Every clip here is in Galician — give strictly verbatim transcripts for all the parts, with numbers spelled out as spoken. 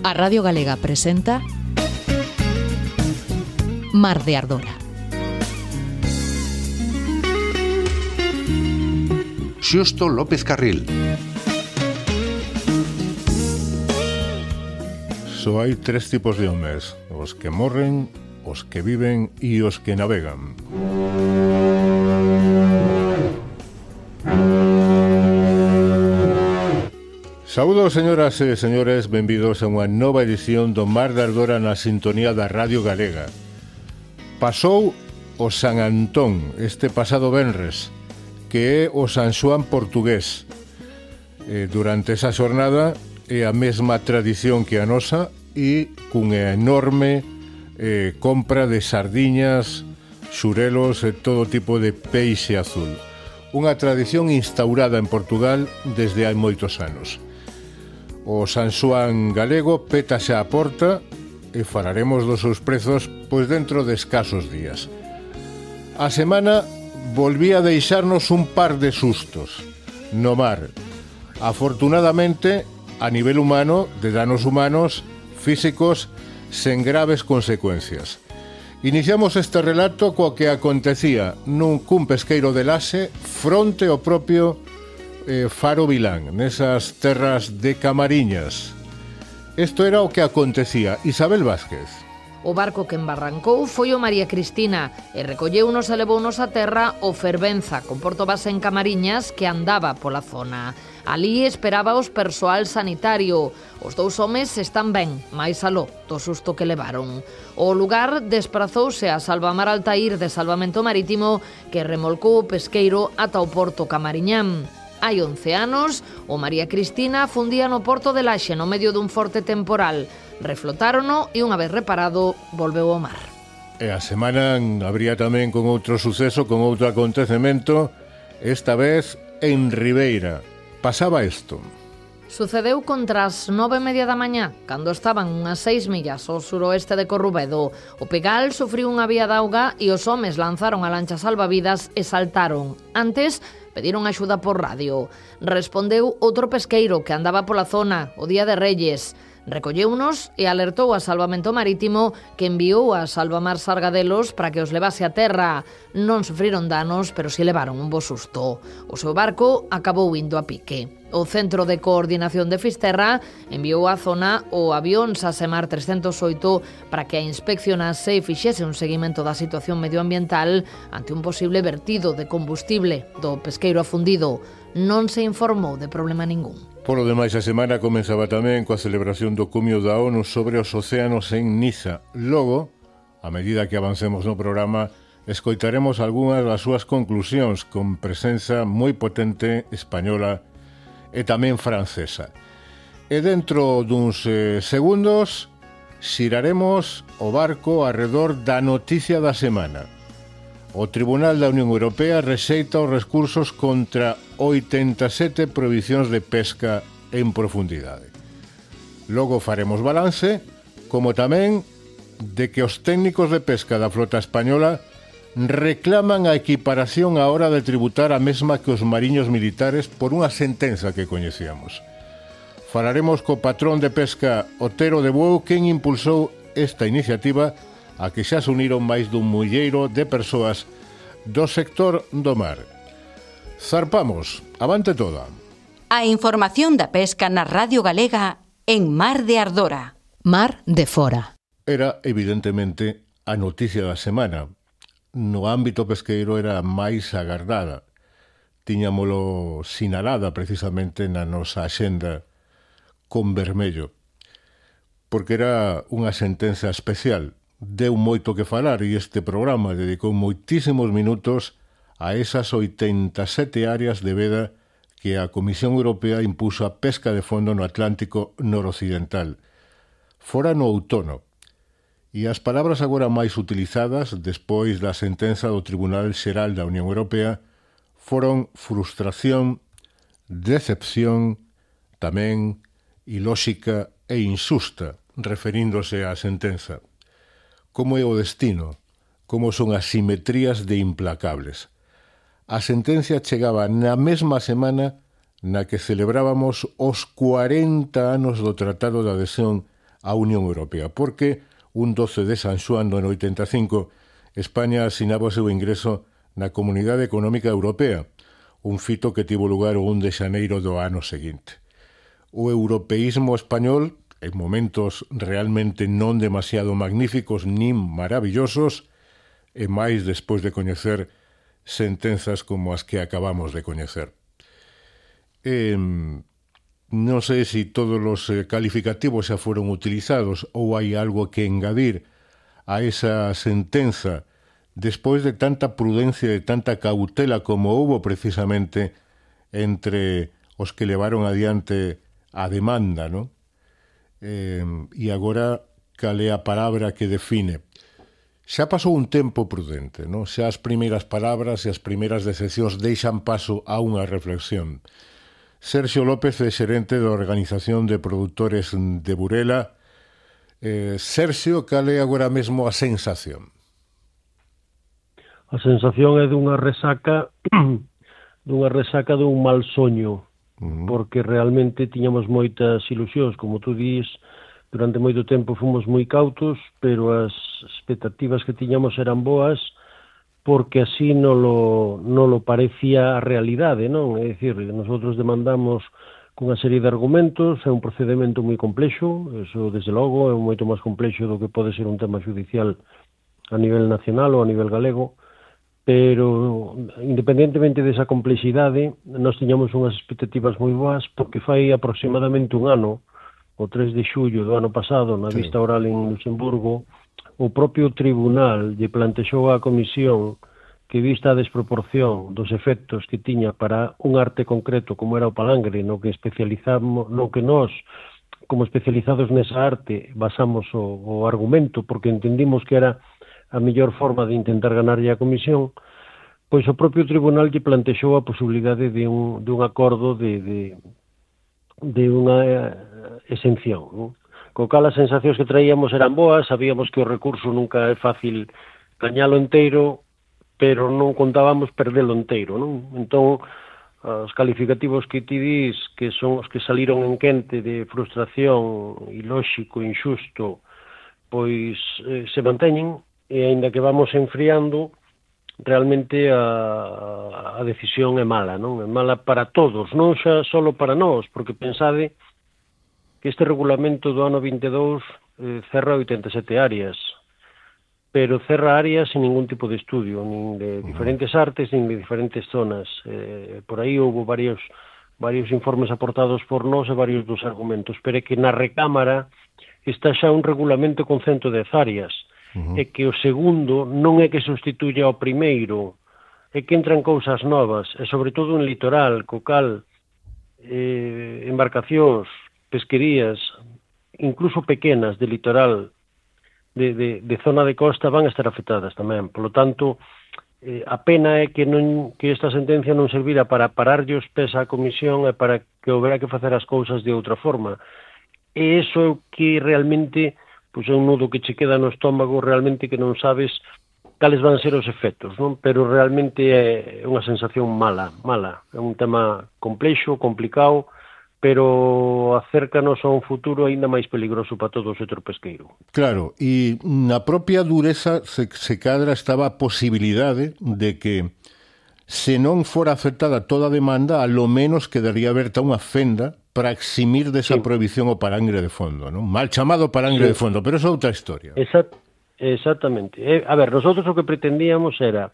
A Radio Galega presenta Mar de Ardora. Xusto López Carril. Só hai tres tipos de homes: os que morren, os que viven e os que navegan. Saúdos, señoras e señores, benvidos a unha nova edición do Mar de Ardora na sintonía da Radio Galega. Pasou o San Antón este pasado venres, que é o San Xoán portugués. E durante esa xornada é a mesma tradición que a nosa e cunha enorme eh, compra de sardiñas, xurelos e todo tipo de peixe azul. Unha tradición instaurada en Portugal desde hai moitos anos. O San Xoán galego pétase á porta e falaremos dos seus prezos pois dentro de escasos días. A semana volvía a deixarnos un par de sustos no mar. Afortunadamente, a nivel humano, de danos humanos, físicos, sen graves consecuencias. Iniciamos este relato coa que acontecía nun cun pesqueiro de Laxe fronte ao propio eh, Faro Vilán, nesas terras de Camariñas. Isto era o que acontecía. Isabel Vázquez. O barco que embarrancou foi o María Cristina e recolleunos e levounos a terra o Fervenza, con porto base en Camariñas, que andaba pola zona. Alí esperaba os persoal sanitario. Os dous homes están ben, máis aló do susto que levaron. O lugar desprazouse a Salvamar Altair de Salvamento Marítimo, que remolcou o pesqueiro ata o porto Camariñán. Hai once anos, o María Cristina fundía no porto de Laxe no medio dun forte temporal. Reflotárono e unha vez reparado, volveu ao mar. E a semana habría tamén con outro suceso, con outro acontecemento, esta vez en Ribeira. Pasaba isto. Sucedeu contra as nove e media da mañá, cando estaban unhas seis millas ao suroeste de Corrubedo. O Pegal sufriu unha vía de auga e os homes lanzaron a lancha salvavidas e saltaron. Antes, pediron axuda por radio. Respondeu outro pesqueiro que andaba pola zona o día de Reyes. Recolleunos e alertou a Salvamento Marítimo, que enviou a Salvamar Sargadelos para que os levase a terra. Non sufriron danos, pero si levaron un bo susto. O seu barco acabou indo a pique. O Centro de Coordinación de Fisterra enviou á zona o avión Sasemar trescentos oito para que a inspeccionase e fixese un seguimento da situación medioambiental ante un posible vertido de combustible do pesqueiro afundido. Non se informou de problema ningún. Por lo demais, a semana comenzaba tamén coa celebración do cumio da ONU sobre os océanos en Niza. Logo, a medida que avancemos no programa, escoitaremos algunhas das súas conclusións con presenza moi potente española e tamén francesa. E dentro duns eh, segundos xiraremos o barco arredor da noticia da semana. O Tribunal da Unión Europea rexeita os recursos contra oitenta e sete prohibicións de pesca en profundidade. Logo faremos balance, como tamén de que os técnicos de pesca da flota española reclaman a equiparación á hora de tributar a mesma que os mariños militares por unha sentenza que coñecíamos. Falaremos co patrón de pesca Otero de Bueu, quen impulsou esta iniciativa a que xa se uniron máis dun mulleiro de persoas do sector do mar. Zarpamos, avante toda. A información da pesca na Radio Galega en Mar de Ardora. Mar de Fora. Era, evidentemente, a noticia da semana. No ámbito pesqueiro era máis agardada. Tiñámolo sinalada precisamente na nosa axenda con vermello, porque era unha sentenza especial. Deu moito que falar e este programa dedicou moitísimos minutos a esas oitenta e sete áreas de veda que a Comisión Europea impuso a pesca de fondo no Atlántico noroccidental. Fora no outono. E as palabras agora máis utilizadas despois da sentenza do Tribunal Xeral da Unión Europea foron frustración, decepción, tamén ilóxica e insusta, referíndose á sentenza. Como é o destino, como son as simetrías de implacables. A sentencia chegaba na mesma semana na que celebrábamos os cuarenta anos do Tratado de Adhesión á Unión Europea, porque un doce de San Xoán do ano oitenta e cinco España asinaba o seu ingreso na Comunidade Económica Europea, un fito que tivo lugar o un de xaneiro do ano seguinte. O europeísmo español, en momentos realmente non demasiado magníficos nin maravillosos, e máis despois de coñecer sentenzas como as que acabamos de coñecer. Eh, non sei se todos os calificativos xa foron utilizados ou hai algo que engadir a esa sentenza despois de tanta prudencia e tanta cautela como houbo precisamente entre os que levaron adiante a demanda, non? Eh, e agora cal é a palabra que define. Xa pasou un tempo prudente, non? Xa as primeiras palabras e as primeiras decisións deixan paso a unha reflexión. Sergio López é xerente da Organización de Produtores de Burela. Eh, Sergio, cal é agora mesmo a sensación? A sensación é dunha resaca dunha resaca dun mal soño, uh-huh. porque realmente tiñamos moitas ilusións, como tú dís, durante moito tempo fomos moi cautos, pero as expectativas que tiñamos eran boas, porque así non lo, non lo parecía a realidade, non? É dicir, nosotros demandamos cunha serie de argumentos, é un procedimento moi complexo, eso, desde logo, é moito máis complexo do que pode ser un tema judicial a nivel nacional ou a nivel galego, pero, independentemente desa complexidade, nós tiñamos unhas expectativas moi boas, porque fai aproximadamente un ano, o tres de xullo do ano pasado, na sí. vista oral en Luxemburgo, o propio tribunal lle plantexou á comisión que, vista a desproporción dos efectos que tiña para un arte concreto como era o palangre, no que especializamos, no que nós, como especializados nesa arte, basamos o, o argumento, porque entendimos que era a mellor forma de intentar ganarlle a comisión, pois o propio tribunal lle plantexou a posibilidade de un, de un acordo de, de, de unha exención, non? Co cal as sensacións que traíamos eran boas, sabíamos que o recurso nunca é fácil gañalo inteiro, pero non contábamos perdelo inteiro, non? Entón, os calificativos que ti dis, que son os que saliron en quente de frustración, ilóxico, injusto, pois eh, se manteñen, e aínda que vamos enfriando, realmente a, a decisión é mala, non? É mala para todos, non xa só para nós, porque pensade que este regulamento do ano vinte e dous eh, cerra oitenta e sete áreas, pero cerra áreas sin ningún tipo de estudio, nin de diferentes artes, nin de diferentes zonas. Eh, por aí houve varios, varios informes aportados por nós e varios dos argumentos, pero é que na recámara está xa un regulamento con ciento dez áreas, uh-huh. e que o segundo non é que sustituya ao primeiro, é que entran cousas novas, e sobre todo en litoral, co cal eh, embarcacións, pesquerías, incluso pequenas de litoral, de, de, de zona de costa, van a estar afectadas tamén. Por lo tanto, eh, a pena é que non que esta sentencia non servira para pararlle os pés á comisión e para que houbera que facer as cousas de outra forma. E iso é o que realmente, pois é un nudo que che queda no estómago, realmente que non sabes cales van ser os efectos, non? Pero realmente é unha sensación mala, mala. É un tema complexo, complicado, pero acércanos a un futuro aínda máis peligroso para todo o sector pesqueiro. Claro, e na propia dureza se, se cadra estaba a posibilidade de que, se non fora aceptada toda a demanda, a lo menos quedaría aberta unha fenda para eximir desa sí. prohibición o palangre de fondo, non? Mal chamado palangre sí. de fondo, pero é outra historia. Exact, exactamente. Eh, a ver, nosotros o que pretendíamos era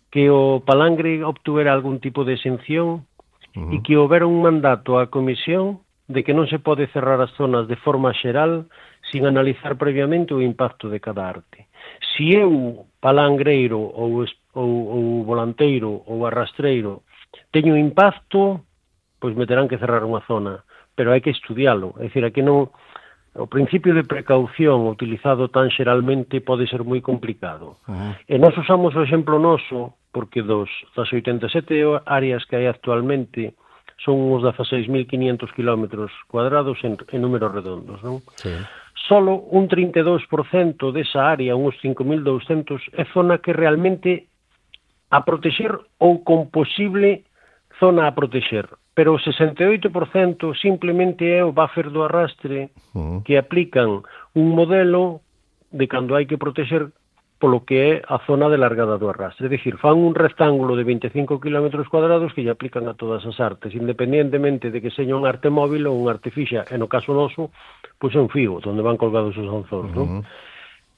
que o palangre obtuvera algún tipo de exención, uh-huh. e que houbera un mandato á comisión de que non se pode cerrar as zonas de forma xeral sin analizar previamente o impacto de cada arte. Si eu, palangreiro ou, ou, ou volanteiro ou arrastreiro, teño impacto, pois me terán que cerrar unha zona, pero hai que estudialo. É dicir, aquí non, o principio de precaución utilizado tan xeralmente pode ser moi complicado. Uh-huh. E nós usamos o exemplo noso, porque dos, das oitenta e sete áreas que hai actualmente son uns dezaseis mil quinhentos kilómetros cuadrados en, en números redondos, non? Sí. Solo un trinta e dous por cento desa área, uns cinco mil douscentos, é zona que realmente a protexer ou con posible zona a protexer. Pero o sesenta e oito por cento simplemente é o buffer do arrastre uh-huh. que aplican un modelo de cando hai que protexer polo que é a zona de largada do arrastre. É dicir, fan un rectángulo de veinticinco kilómetros cuadrados que lle aplican a todas as artes, independientemente de que seña un arte móvil ou un arte fixa. E no caso noso, pois é un fío, onde van colgados os anzóns, uh-huh. non?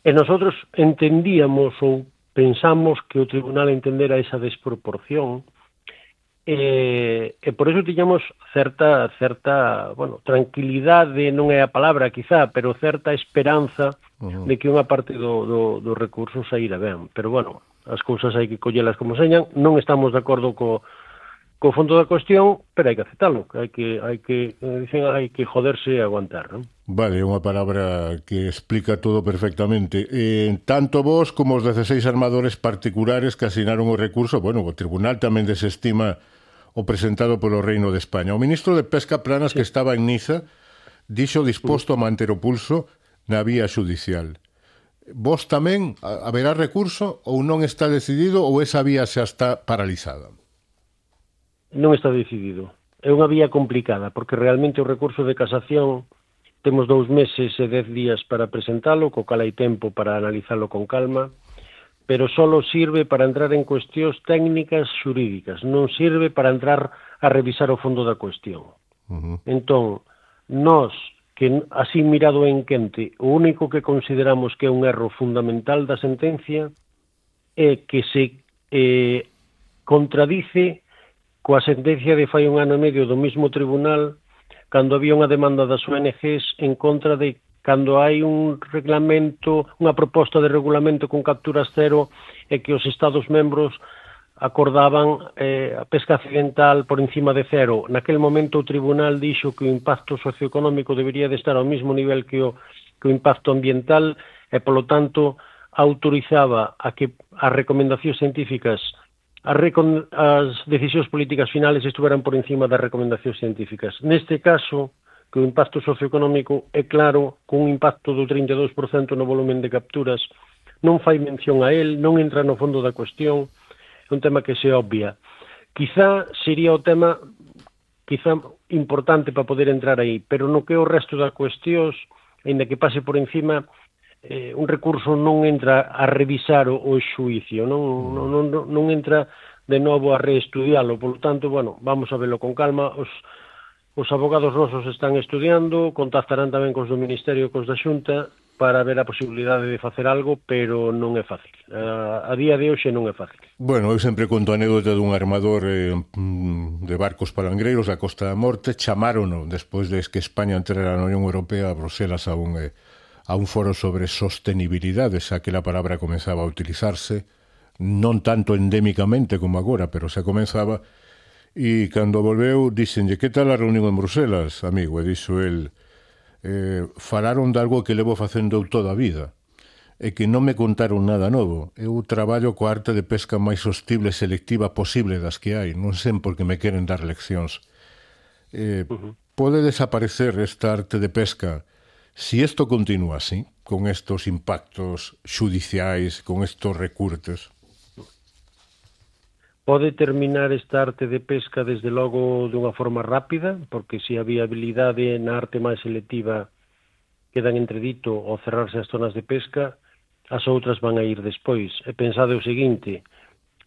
E nosotros entendíamos ou pensamos que o tribunal entendera esa desproporción e, e por eso tiñamos certa, certa, bueno, tranquilidade non é a palabra quizá, pero certa esperanza uh-huh. de que unha parte do, do, do recurso saíra ben. Pero bueno, as cousas hai que collelas como señan, non estamos de acordo co, co fondo da cuestión, pero hai que aceptalo, hai que, hai que, dicen, hai que joderse e aguantar, non? Vale, é unha palabra que explica todo perfectamente. Eh, tanto vos como os dezasseis armadores particulares que asinaron o recurso, bueno, o tribunal tamén desestima o presentado polo Reino de España. O ministro de Pesca Planas, sí. que estaba en Niza, dixo disposto a manter o pulso na vía xudicial. Vos tamén haberá recurso ou non está decidido ou esa vía xa está paralizada? Non está decidido. É unha vía complicada, porque realmente o recurso de casación temos dous meses e dez días para presentalo, co cal hai tempo para analizalo con calma, pero só sirve para entrar en cuestións técnicas xurídicas, non sirve para entrar a revisar o fondo da cuestión. Uh-huh. Entón, nós, que así mirado en quente, o único que consideramos que é un erro fundamental da sentencia é que se eh, contradice coa sentencia de fai un ano e medio do mesmo tribunal cando había unha demanda das O N Ges en contra de cando hai un reglamento, unha proposta de regulamento con capturas cero e que os Estados membros acordaban eh, a pesca accidental por encima de cero. Naquel momento o tribunal dixo que o impacto socioeconómico debería de estar ao mesmo nivel que o, que o impacto ambiental e, polo tanto, autorizaba a que as recomendacións científicas, as, recon, as decisións políticas finales estuveran por encima das recomendacións científicas. Neste caso, que o impacto socioeconómico é claro, con un impacto do trinta e dous por cento no volumen de capturas, non fai mención a él, non entra no fondo da cuestión, é un tema que se obvia. Quizá sería o tema quizá importante para poder entrar aí, pero no que o resto da cuestións, ainda que pase por encima, eh, un recurso non entra a revisar o, o xuicio, non, non, non, non entra de novo a reestudialo, polo tanto, bueno, vamos a verlo con calma. Os Os abogados nosos están estudiando, contactarán tamén cos do Ministerio e cos da Xunta para ver a posibilidade de facer algo, pero non é fácil. A, a día de hoxe non é fácil. Bueno, eu sempre conto a anécdota dun armador eh, de barcos palangreiros da Costa da Morte, chamárono despois de que España entrara na Unión Europea a Bruselas a un, eh, a un foro sobre sostenibilidade, xa que a palabra comenzaba a utilizarse, non tanto endémicamente como agora, pero xa comenzaba. E cando volveu, díxenlle, que tal a reunión en Bruselas, amigo? E dixo el, eh, falaron de algo que levo facendo toda a vida, e que non me contaron nada novo. Eu traballo coa arte de pesca máis sostible e selectiva posible das que hai, non sei por que me queren dar leccións. Eh, uh-huh. Pode desaparecer esta arte de pesca si isto continúa así, con estos impactos xudiciais, con estos recurtes? Pode terminar esta arte de pesca desde logo dunha forma rápida, porque se a viabilidade na arte máis selectiva quedan entredito ao cerrarse as zonas de pesca, as outras van a ir despois. E pensade o seguinte,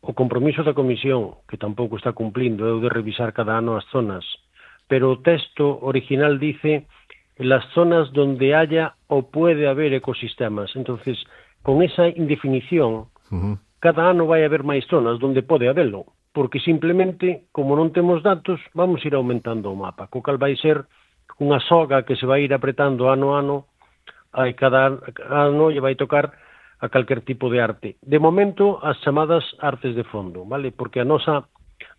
o compromiso da Comisión, que tampouco está cumplindo, é o de revisar cada ano as zonas, pero o texto original dice las zonas donde haya ou puede haber ecosistemas. Entonces, con esa indefinición, uh-huh. cada ano vai haber máis zonas onde pode habelo, porque simplemente, como non temos datos, vamos ir aumentando o mapa, co cal vai ser unha soga que se vai ir apretando ano a ano, e cada ano lle vai tocar a calquer tipo de arte. De momento, as chamadas artes de fondo, vale? Porque a nosa,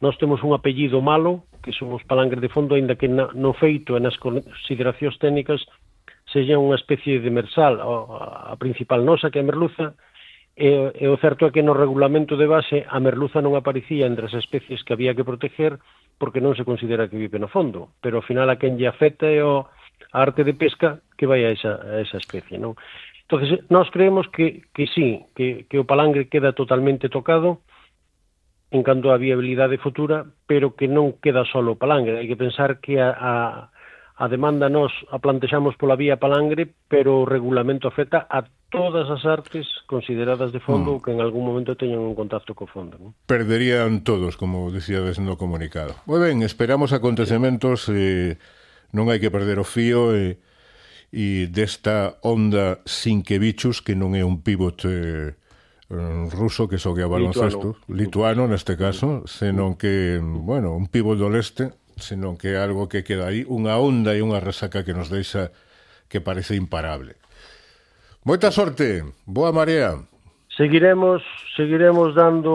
nós temos un apellido malo, que somos palangres de fondo, aínda que na, no feito e nas consideracións técnicas sexa unha especie de mersal, a, a principal nosa, que é a merluza. E, e o certo é que no regulamento de base a merluza non aparecía entre as especies que había que proteger porque non se considera que vive no fondo, pero ao final a quen lle afecta é o, a arte de pesca que vai a esa, a esa especie, non? Entonces, nós creemos que, que sí, que, que o palangre queda totalmente tocado en canto á viabilidade futura, pero que non queda solo o palangre. Hai que pensar que a, a, a demanda nos a plantexamos pola vía palangre, pero o regulamento afecta a todas as artes consideradas de fondo mm. ou que en algún momento teñan un contacto co fondo. Non? Perderían todos, como dicíades no comunicado. Moi ben, esperamos acontecementos, eh, non hai que perder o fío, e, e desta onda Sinkevichus, que non é un pivot eh, ruso que xogue a baloncesto, lituano, lituano neste caso, senón que, bueno, un pivot do leste, senón que é algo que queda aí, unha onda e unha resaca que nos deixa que parece imparable. Moita sorte, boa marea. Seguiremos, seguiremos dando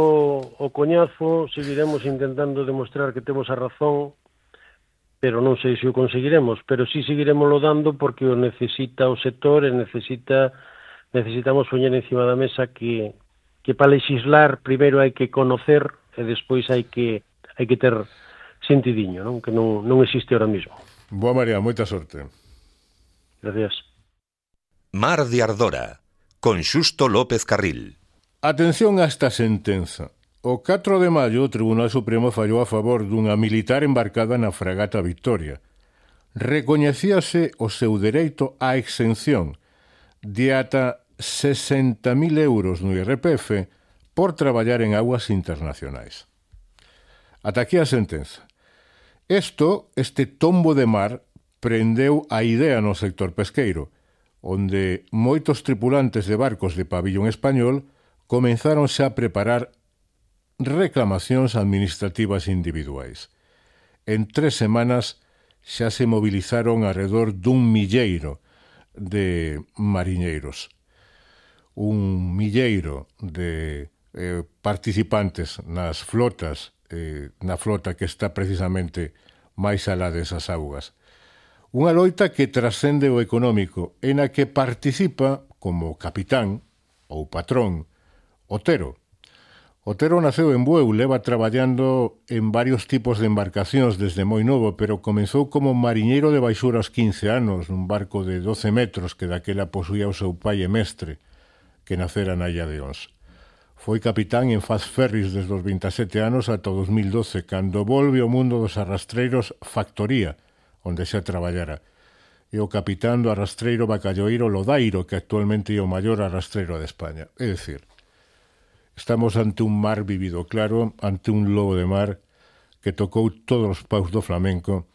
o coñazo, seguiremos intentando demostrar que temos a razón, pero non sei se o conseguiremos, pero sí seguiremoslo dando porque o necesita o sector e necesita necesitamos poñer encima da mesa que, que para legislar primeiro hai que conocer e despois hai que hai que ter sentidiño, non? Que non, non existe ahora mismo. Boa María, moita sorte. Gracias. Mar de Ardora, con Xusto López Carril. Atención a esta sentenza. O catro de maio o Tribunal Supremo fallou a favor dunha militar embarcada na fragata Victoria. Recoñecíase o seu dereito á exención de ata sesenta mil euros no I R P F por traballar en aguas internacionais. Ata aquí a sentenza. Isto, este tombo de mar, prendeu a idea no sector pesqueiro, onde moitos tripulantes de barcos de pabillón español comenzáronse a preparar reclamacións administrativas individuais. En tres semanas xa se movilizaron alrededor dun milleiro de mariñeiros. Un milleiro de eh, participantes nas flotas, eh, na flota que está precisamente máis alá desas augas. Unha loita que trascende o económico, en a que participa como capitán ou patrón Otero. Otero naceu en Bueu, leva traballando en varios tipos de embarcacións desde moi novo, pero comezou como mariñeiro de baixura aos quince anos, nun barco de doce metros que daquela posuía o seu pai e mestre, que nacera na Illa de Ons. Foi capitán en Faz Ferris desde os veintesete anos ata o dos mil doce, cando volve ao mundo dos arrastreiros Factoría, onde xa traballara, e o capitán do arrastreiro bacalloeiro Lodairo, que actualmente é o maior arrastreiro de España. É dicir, estamos ante un mar vivido claro, ante un lobo de mar que tocou todos os paus do flamenco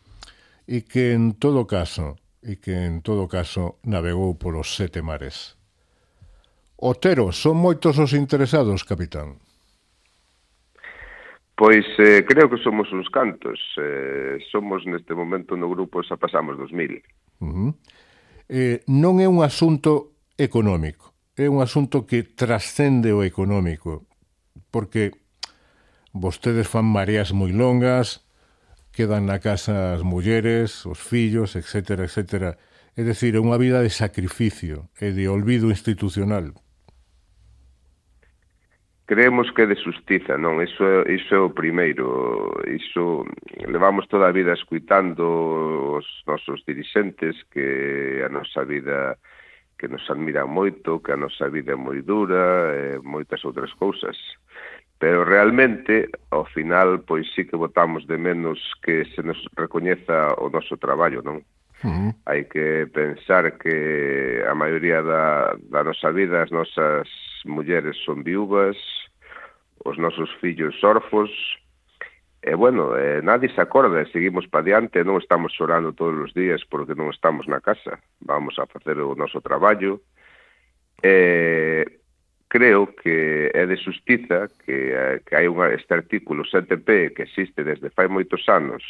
e que en todo caso, e que en todo caso navegou polos sete mares. Otero, son moitos os interesados, capitán? Pois eh, creo que somos uns cantos. Eh, somos neste momento no grupo xa pasamos dos mil. Uh-huh. Eh, non é un asunto económico. É un asunto que trascende o económico, porque vostedes fan mareas moi longas, quedan na casa as mulleres, os fillos, etcétera, etcétera. É dicir, é unha vida de sacrificio e de olvido institucional. Creemos que é de xustiza, non? Iso, iso é o primeiro. Iso levamos toda a vida escuitando os nosos dirixentes que a nosa vida que nos admiran moito, que a nosa vida é moi dura, e moitas outras cousas. Pero realmente, ao final, pois sí que botamos de menos que se nos recoñeza o noso traballo, non? Uh-huh. Hai que pensar que a maioría da, da nosa vida as nosas mulleres son viúvas, os nosos fillos orfos, e bueno, eh, nadie se acorda, seguimos pa diante, non estamos chorando todos os días porque non estamos na casa, vamos a facer o noso traballo, e creo que é de xustiza que, que hai unha, este artículo sete P que existe desde fai moitos anos,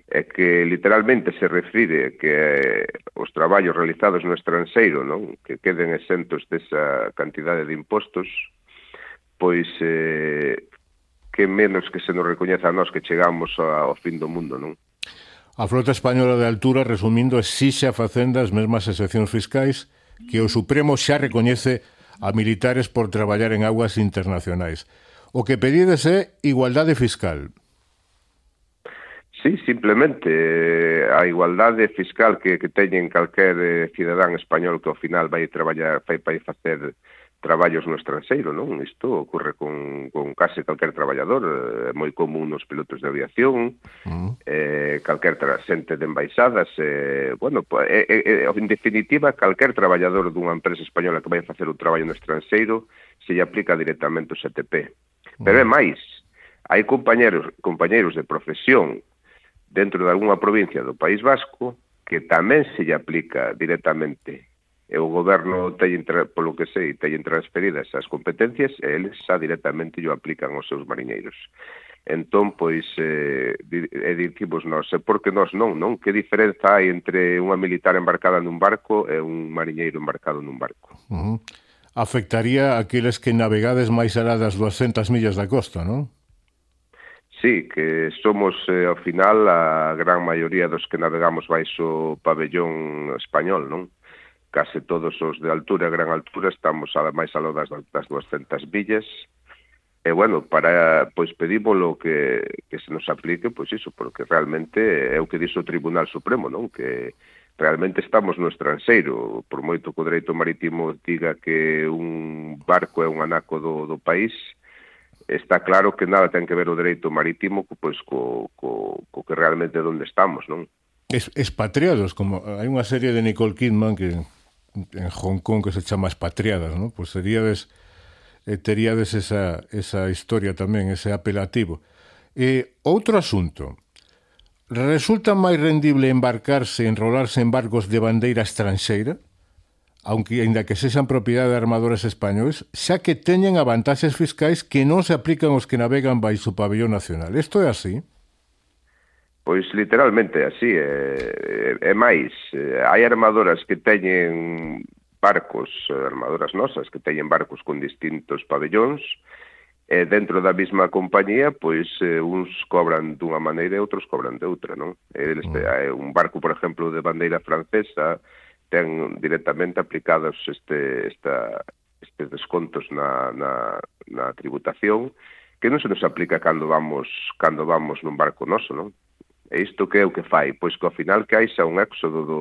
e que literalmente se refire que os traballos realizados no estranxeiro, non, que queden exentos desa cantidade de impostos, pois eh, que menos que se nos recoñeza a nós que chegamos ao fin do mundo, non? A flota española de altura, resumindo, exixe a Facenda as mesmas excepcións fiscais que o Supremo xa recoñece a militares por traballar en aguas internacionais. O que pedides é igualdade fiscal. Sí, simplemente a igualdade fiscal que, que teñen calquer eh, cidadán español que ao final vai traballar, vai, vai facer traballos no estranxeiro, non? Isto ocorre con, con case calquer traballador, é moi común nos pilotos de aviación, uh-huh. eh, calquer xente de embaixadas, eh, bueno, eh, eh, en definitiva, calquer traballador dunha empresa española que vai facer un traballo no estranxeiro se lle aplica directamente o S T P. Uh-huh. Pero é máis, hai compañeros, compañeros de profesión dentro de algunha provincia do País Vasco que tamén se lle aplica directamente. E o goberno, teñen, polo que sei, teñen transferidas as competencias e eles xa directamente yo aplican aos seus mariñeiros. Entón, pois, eh, e dicimos nós, e por que nós non, non? Que diferenza hai entre unha militar embarcada nun barco e un mariñeiro embarcado nun barco? Uh-huh. Afectaría a aqueles que navegades máis alá das duascentas millas da costa, non? Sí, que somos, eh, ao final, a gran maioría dos que navegamos baixo pabellón español, non? Case todos os de altura e gran altura estamos ademais aló das, das duascentas millas e, bueno, para, pois, pedímolo que, que se nos aplique, pois iso, porque realmente é o que dixo o Tribunal Supremo, non? Que realmente estamos no estranxeiro, por moito que o dereito marítimo diga que un barco é un anaco do, do país, está claro que nada ten que ver o dereito marítimo pois, co, co, co que realmente é onde estamos, non? Es, expatriados, como hai unha serie de Nicole Kidman que en Hong Kong que se chama Expatriadas, ¿no? Pues seríades, eh, teríades esa, esa historia tamén, ese apelativo. Eh, outro asunto, resulta máis rendible embarcarse, enrolarse en barcos de bandeira estranxeira, aunque ainda que sexan propiedade de armadores españois, xa que teñen a vantaxes fiscais que non se aplican aos que navegan baixo o pabellón nacional. Isto é así? Pois literalmente así, é, é máis, hai armadoras que teñen barcos, armadoras nosas, que teñen barcos con distintos pabellóns, e dentro da mesma compañía, pois uns cobran dunha maneira e outros cobran de outra, non? Eles, mm. Un barco, por exemplo, de bandeira francesa, ten directamente aplicados este, esta, estes descontos na, na, na tributación, que non se nos aplica cando vamos, cando vamos nun barco noso, non? E isto que é o que fai? Pois que ao final que hai xa un éxodo do,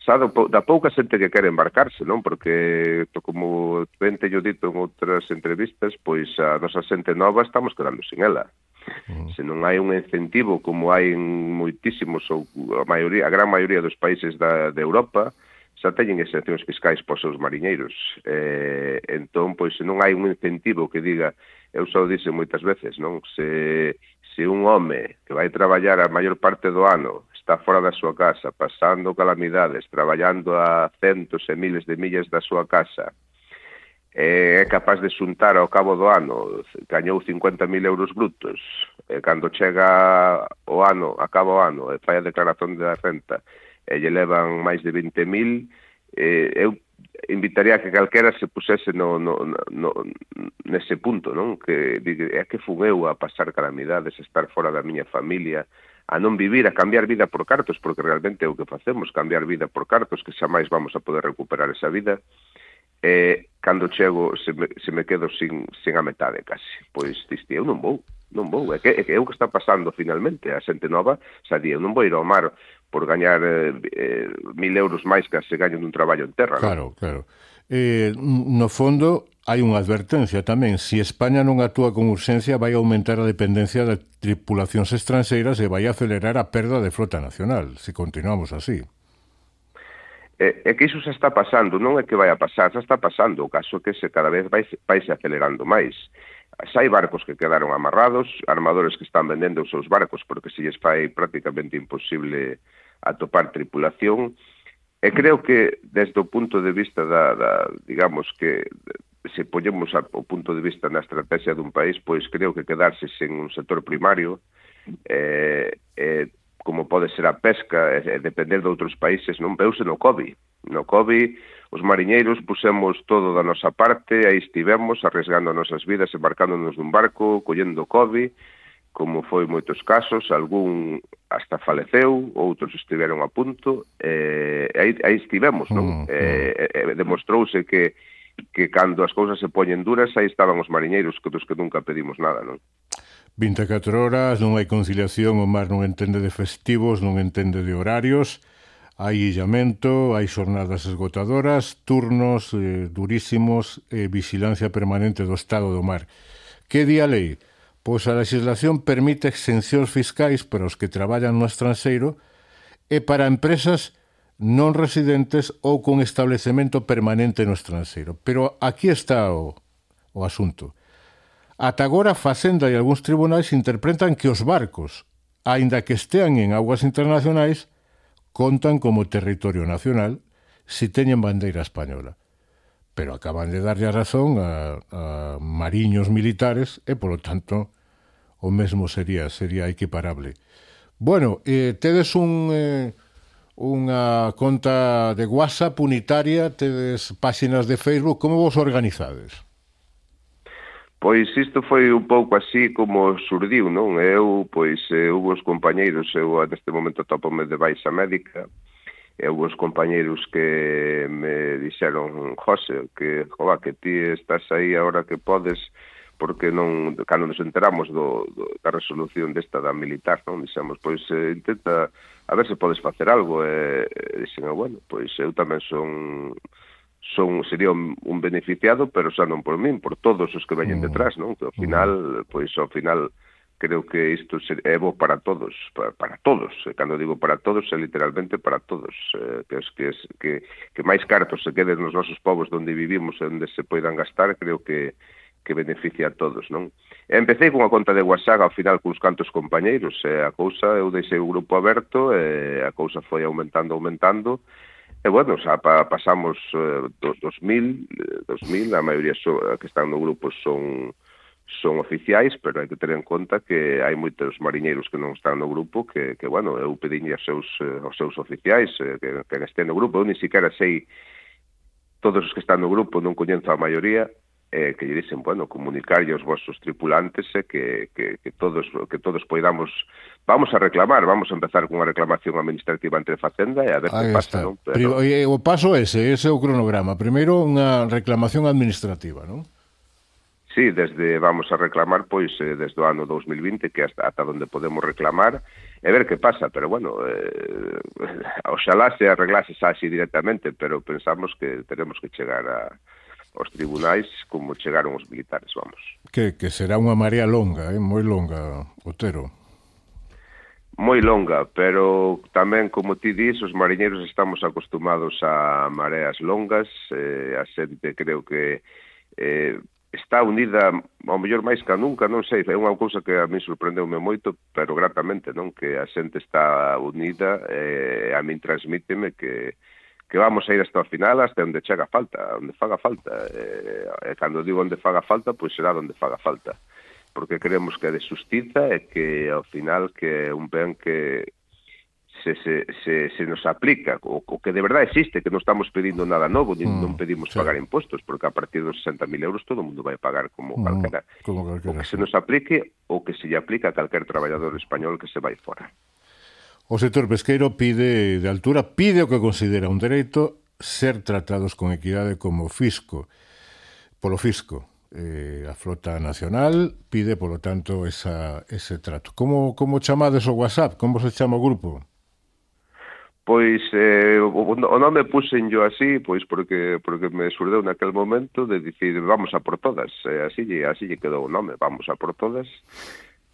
xa do, da pouca xente que quere embarcarse, non? Porque, como ben teño dito en outras entrevistas, pois a nosa xente nova estamos quedando sin ela. Mm. Se non hai un incentivo como hai en moitísimos, ou a maioría, a gran maioría dos países da, de Europa, xa teñen exencións fiscais para os seus mariñeiros. Eh, entón, pois, se non hai un incentivo que diga, eu xa o dixe moitas veces, non? Se... Se un home que vai traballar a maior parte do ano está fora da súa casa, pasando calamidades, traballando a centos e miles de millas da súa casa, é capaz de xuntar ao cabo do ano, gañou cincuenta mil euros brutos, e cando chega o ano, acaba o ano, e fai a declaración de renta, e lle levan máis de vinte mil, eh, eu invitaría a que calquera se pusese no, no, no, nese punto, non? Que é que fun eu a pasar calamidades, a estar fora da miña familia, a non vivir, a cambiar vida por cartos, porque realmente é o que facemos, cambiar vida por cartos, que xa máis vamos a poder recuperar esa vida, e cando chego se me, se me quedo sin, sin a metade casi. Pois diste, eu non vou, non vou, é que, é que é o que está pasando finalmente, a xente nova xa di, eu non vou ir ao mar por gañar eh, eh, mil euros máis que se gañan nun traballo en terra. Claro, non? Claro. Eh, no fondo, hai unha advertencia tamén. Se España non actúa con urxencia, vai aumentar a dependencia de tripulacións estranxeiras e vai acelerar a perda de frota nacional, se continuamos así. É, é que iso xa está pasando, non é que vai a pasar, xa está pasando. O caso é que se cada vez vai, vai se acelerando máis. Xa hai barcos que quedaron amarrados, armadores que están vendendo os seus barcos porque se lles fai prácticamente imposible atopar tripulación, e creo que desde o punto de vista da, da digamos que se poñemos o punto de vista na estrategia dun país, pois creo que quedarse sen un sector primario, eh, eh, como pode ser a pesca, e depender de outros países, non veuse no COVID. No COVID, os mariñeiros pusemos todo da nosa parte, aí estivemos, arriesgando as nosas vidas, embarcándonos dun barco, collendo COVID, como foi moitos casos, algún hasta faleceu, outros estiveron a punto, e aí, aí estivemos, non? Mm, eh, eh, demostrouse que, que cando as cousas se poñen duras, aí estaban os mariñeiros, que dos que nunca pedimos nada, non? vinte e catro horas, non hai conciliación, o mar non entende de festivos, non entende de horarios, Hai illamento, hai xornadas esgotadoras, turnos eh, durísimos e vigilancia permanente do estado do mar. Que di a lei? Pois a legislación permite exencións fiscais para os que traballan no estranxeiro e para empresas non residentes ou con establecemento permanente no estranxeiro. Pero aquí está o, o asunto. Ata agora, Facenda e algúns tribunais interpretan que os barcos, aínda que estean en aguas internacionais, contan como territorio nacional si teñen bandeira española. Pero acaban de darlle a razón a, a mariños militares e, polo tanto, o mesmo sería sería equiparable. Bueno, eh, tedes un, eh, unha conta de WhatsApp unitaria, tedes páxinas de Facebook, como vos organizades? Pois isto foi un pouco así como surdiu, non? Eu, pois, eh, hubo os compañeiros, eu neste momento topome de baixa médica, e hubo os compañeiros que me dixeron, José, que, joa, que ti estás aí agora que podes, porque non, cando nos enteramos do, do, da resolución desta da militar, non? Dixemos, pois, eh, intenta, a ver se podes facer algo, e, e dixen, bueno, pois eu tamén son... son sería un, un beneficiado, pero xa non por min, por todos os que veñen detrás, non? Que ao final, pois ao final creo que isto é bo para todos, para, para todos. E cando digo para todos, é literalmente para todos, eh, que, es, que, es, que, que máis cartos se queden nos nosos povos onde vivimos e onde se poidan gastar, creo que que beneficia a todos, non? E empecé con a conta de WhatsApp ao final cuns cantos compañeiros, e a cousa, eu deixei o grupo aberto, e a cousa foi aumentando, aumentando. E, bueno, xa pa, pasamos eh, dos mil, a maioría so, que están no grupo son son oficiais, pero hai que ter en conta que hai moitos mariñeiros que non están no grupo, que, que bueno, eu pedinlle aos seus, eh, aos seus oficiais eh, que, que estén no grupo. Eu ni siquiera sei todos os que están no grupo, non coñento a maioría, eh, que lle dicen, bueno, comunicarlle aos vosos tripulantes eh, que, que, que todos que todos poidamos, vamos a reclamar, vamos a empezar con unha reclamación administrativa entre Facenda e a ver que pasa, non? Pero... O paso ese, ese é o cronograma. Primeiro unha reclamación administrativa, non? Sí, desde vamos a reclamar, pois, eh, desde o ano dous mil vinte, que hasta, ata onde podemos reclamar, e ver que pasa, pero bueno, eh, oxalá se arreglase así directamente, pero pensamos que tenemos que chegar a os tribunais como chegaron os militares, vamos. Que, que será unha marea longa, eh? moi longa, Otero. Moi longa, pero tamén, como ti dis, os mariñeiros estamos acostumados a mareas longas, eh, a xente creo que eh, está unida, ao mellor máis que nunca, non sei, é unha cousa que a mí sorprendeume moito, pero gratamente, non? Que a xente está unida, eh, a min transmíteme que que vamos a ir hasta o final, hasta onde chega falta, onde faga falta. E, e cando digo onde faga falta, pois será onde faga falta. Porque creemos que é de xustiza e que ao final que é un ben que se, se, se, se nos aplica, o, o que de verdade existe, que non estamos pedindo nada novo, mm, non pedimos sí. pagar impostos, porque a partir dos sesenta mil euros todo o mundo vai pagar como mm, calquera. Como calquera. O que se nos aplique, o que se lle aplica a calquer traballador español que se vai fora. O sector pesqueiro pide de altura, pide o que considera un dereito, ser tratados con equidade como fisco, polo fisco. Eh, a flota nacional pide, polo tanto, esa, ese trato. Como, como chamades o WhatsApp? Como se chama o grupo? Pois eh, o, o nome puxen yo así, pois porque porque me surdeu naquel momento de dicir vamos a por todas, eh, así, así lle quedou o nome, vamos a por todas.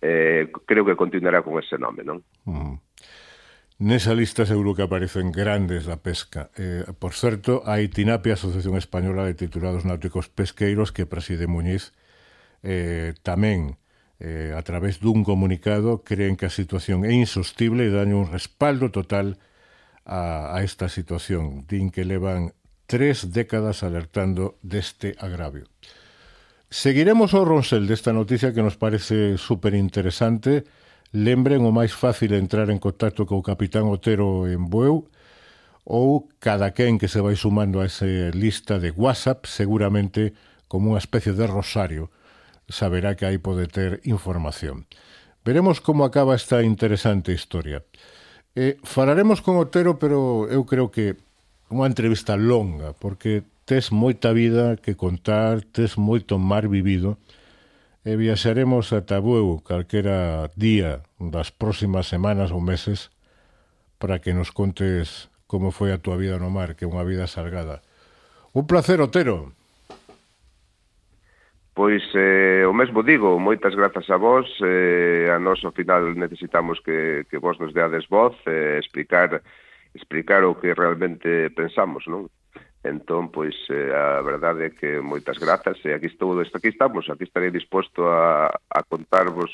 Eh, creo que continuará con ese nome, non? Mm. Nesa lista seguro que aparecen grandes da pesca. Eh, por certo, a Itinapia, Asociación Española de Titulados Náuticos Pesqueiros, que preside Muñiz, eh, tamén, eh, a través dun comunicado, creen que a situación é insostible e dan un respaldo total a, a esta situación. Din que levan tres décadas alertando deste agravio. Seguiremos o ronsel desta noticia que nos parece superinteresante. Lembren, o máis fácil é entrar en contacto co capitán Otero en Bueu ou cada quen que se vai sumando a esa lista de WhatsApp, seguramente como unha especie de rosario, saberá que aí pode ter información. Veremos como acaba esta interesante historia. Eh, falaremos con Otero, pero eu creo que unha entrevista longa, porque tes moita vida que contar, tes moito mar vivido, e viaxaremos ata Bueu calquera día das próximas semanas ou meses para que nos contes como foi a túa vida no mar, que é unha vida salgada. Un placer, Otero. Pois eh, o mesmo digo, moitas grazas a vos, eh, a nós ao final necesitamos que, que vos nos deades voz, eh, explicar explicar o que realmente pensamos, non? Entón, pois, eh, a verdade é que moitas grazas, e aquí, estou, aquí estamos, aquí estarei disposto a, a contarvos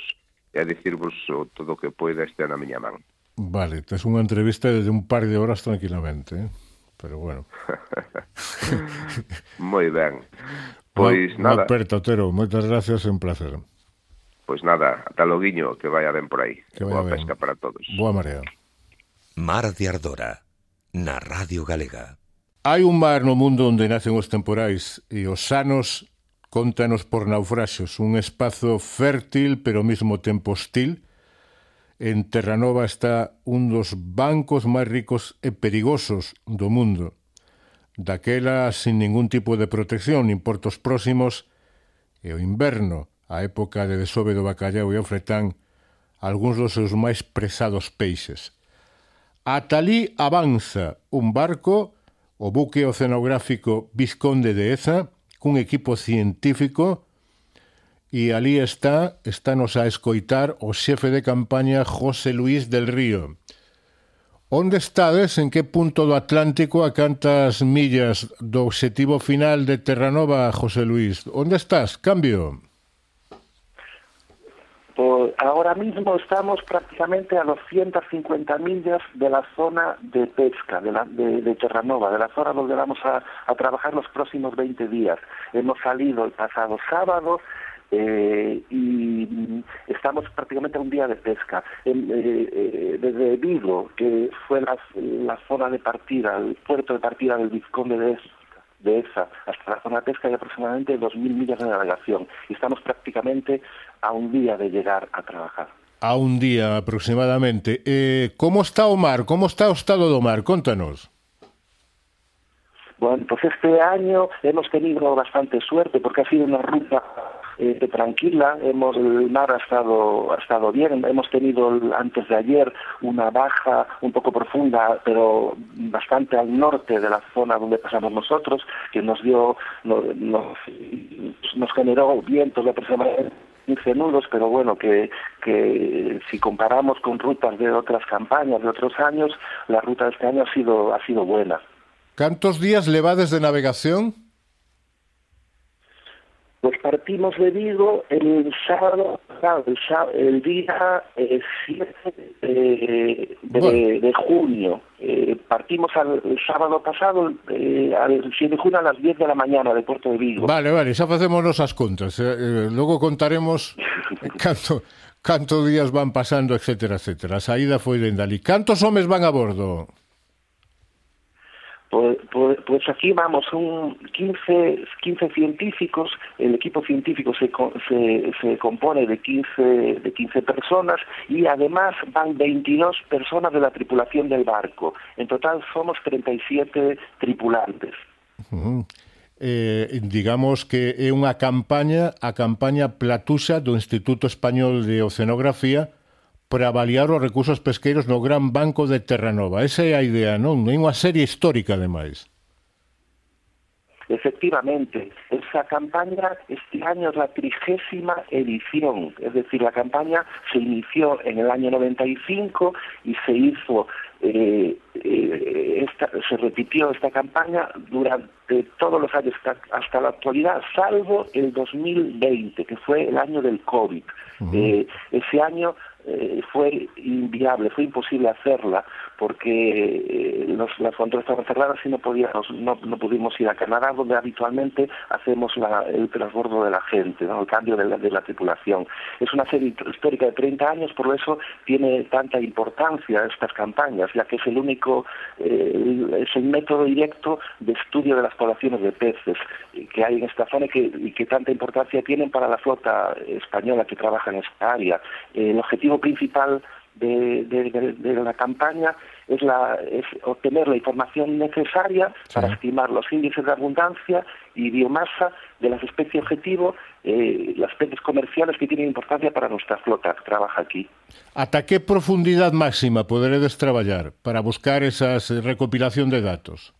e a dicirvos o, todo o que poida este na miña man. Vale, tes unha entrevista de un par de horas tranquilamente, eh? Pero bueno. Moi ben. Pois Una, nada. Unha aperta, Otero, moitas gracias, é un placer. Pois nada, ata loguiño, que vaya ben por aí. Que vaya Boa ben. pesca para todos. Boa marea. Mar de Ardora, na Radio Galega. Hai un mar no mundo onde nacen os temporais e os sanos contanos por naufraxos, un espazo fértil pero ao mesmo tempo hostil. En Terranova está un dos bancos máis ricos e perigosos do mundo. Daquela sin ningún tipo de protección, nin portos próximos, e o inverno, a época de desove do bacallau e o fretán, algúns dos seus máis presados peixes. Ata alí avanza un barco, o buque oceanográfico Visconde de Eza, cun equipo científico, e alí está, estános a escoitar o xefe de campaña José Luis del Río. Onde estades? En que punto do Atlántico, a cantas millas do obxectivo final de Terranova, José Luis? Onde estás? Cambio. Pues ahora mismo estamos prácticamente a doscientas cincuenta millas de la zona de pesca de, la, de, de Terranova, de la zona donde vamos a, a trabajar los próximos veinte días. Hemos salido el pasado sábado eh, y estamos prácticamente a un día de pesca. En, eh, eh, desde Vigo, que fue la, la zona de partida, el puerto de partida del Vizconde de Eza, de esa hasta la zona de pesca hay aproximadamente dos mil millas de navegación y estamos prácticamente a un día de llegar a trabajar. A un día aproximadamente. Eh, ¿Cómo está o mar? ¿Cómo está o estado do mar? Contanos. Bueno, pues este año hemos tenido bastante suerte porque ha sido una ruta eh, tranquila, hemos, el mar ha estado, ha estado bien, hemos tenido antes de ayer una baja un poco profunda, pero bastante al norte de la zona donde pasamos nosotros, que nos dio, nos, nos, nos generó vientos de aproximadamente quince nudos, pero bueno, que, que si comparamos con rutas de otras campañas de otros años, la ruta de este año ha sido, ha sido buena. ¿Cuántos días levades de navegación? Pues partimos de Vigo el sábado, el, sábado, el día eh, siete eh, de, bueno. de junio. Eh, partimos al, el sábado pasado, eh, al siete de junio a las diez de la mañana de Puerto de Vigo. Vale, vale, xa facemos nosas contas. Eh, eh, logo contaremos canto, canto días van pasando, etcétera, etcétera. A saída foi dende ali. Cantos homes van a bordo? Pues, pues, pues aquí vamos, son quince, quince científicos, el equipo científico se, se, se compone de quince, de quince personas y además van veintidós personas de la tripulación del barco. En total somos treinta y siete tripulantes. Uh-huh. Eh, digamos que é unha campaña, a campaña Platuxa do Instituto Español de Oceanografía, para avaliar os recursos pesqueiros no Gran Banco de Terranova. Esa é a idea, non? É unha serie histórica, ademais. Efectivamente, esa campaña este año es la trigésima edición, es decir, la campaña se inició en el año noventa y cinco y se hizo, eh, eh, esta, se repitió esta campaña durante todos los años hasta la actualidad, salvo el dos mil veinte, que fue el año del COVID. Uh-huh. Eh, ese año eh, fue inviable, fue imposible hacerla porque eh, los, las fronteras estaban cerradas y no podíamos, no, no pudimos ir a Canadá, donde habitualmente hacemos la, el transbordo de la gente, ¿no? El cambio de la, de la tripulación. Es una serie histórica de treinta años, por eso tiene tanta importancia estas campañas, ya que es el único, eh, es el método directo de estudio de las poblaciones de peces que hay en esta zona y que, y que tanta importancia tienen para la flota española que trabaja en esta área. Eh, el objetivo principal de, de, de, de la campaña es, la, es obtener la información necesaria sí. para estimar los índices de abundancia y biomasa de las especies objetivo, eh, las especies comerciales que tienen importancia para nuestra flota que trabaja aquí. ¿Hasta qué profundidad máxima poderedes traballar para buscar esa recopilación de datos?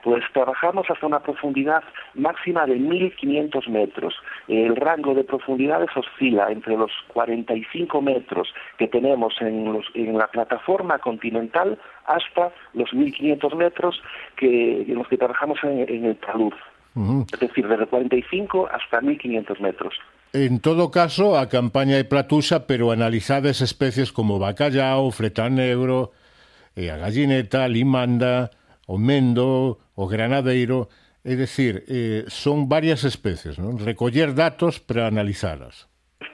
Pues trabajamos hasta una profundidad máxima de mil quinientos metros. El rango de profundidades oscila entre los cuarenta y cinco metros que tenemos en, los, en la plataforma continental hasta los mil quinientos metros que, en los que trabajamos en, en el talud. Uh-huh. Es decir, desde cuarenta y cinco hasta mil quinientos metros. En todo caso, a campaña de Platusa, pero analizades especies como bacallao, fletán negro, eh, a gallineta, limanda, o mendo, o granadeiro, é dicir, eh, son varias especies, non? Recoller datos para analizalas.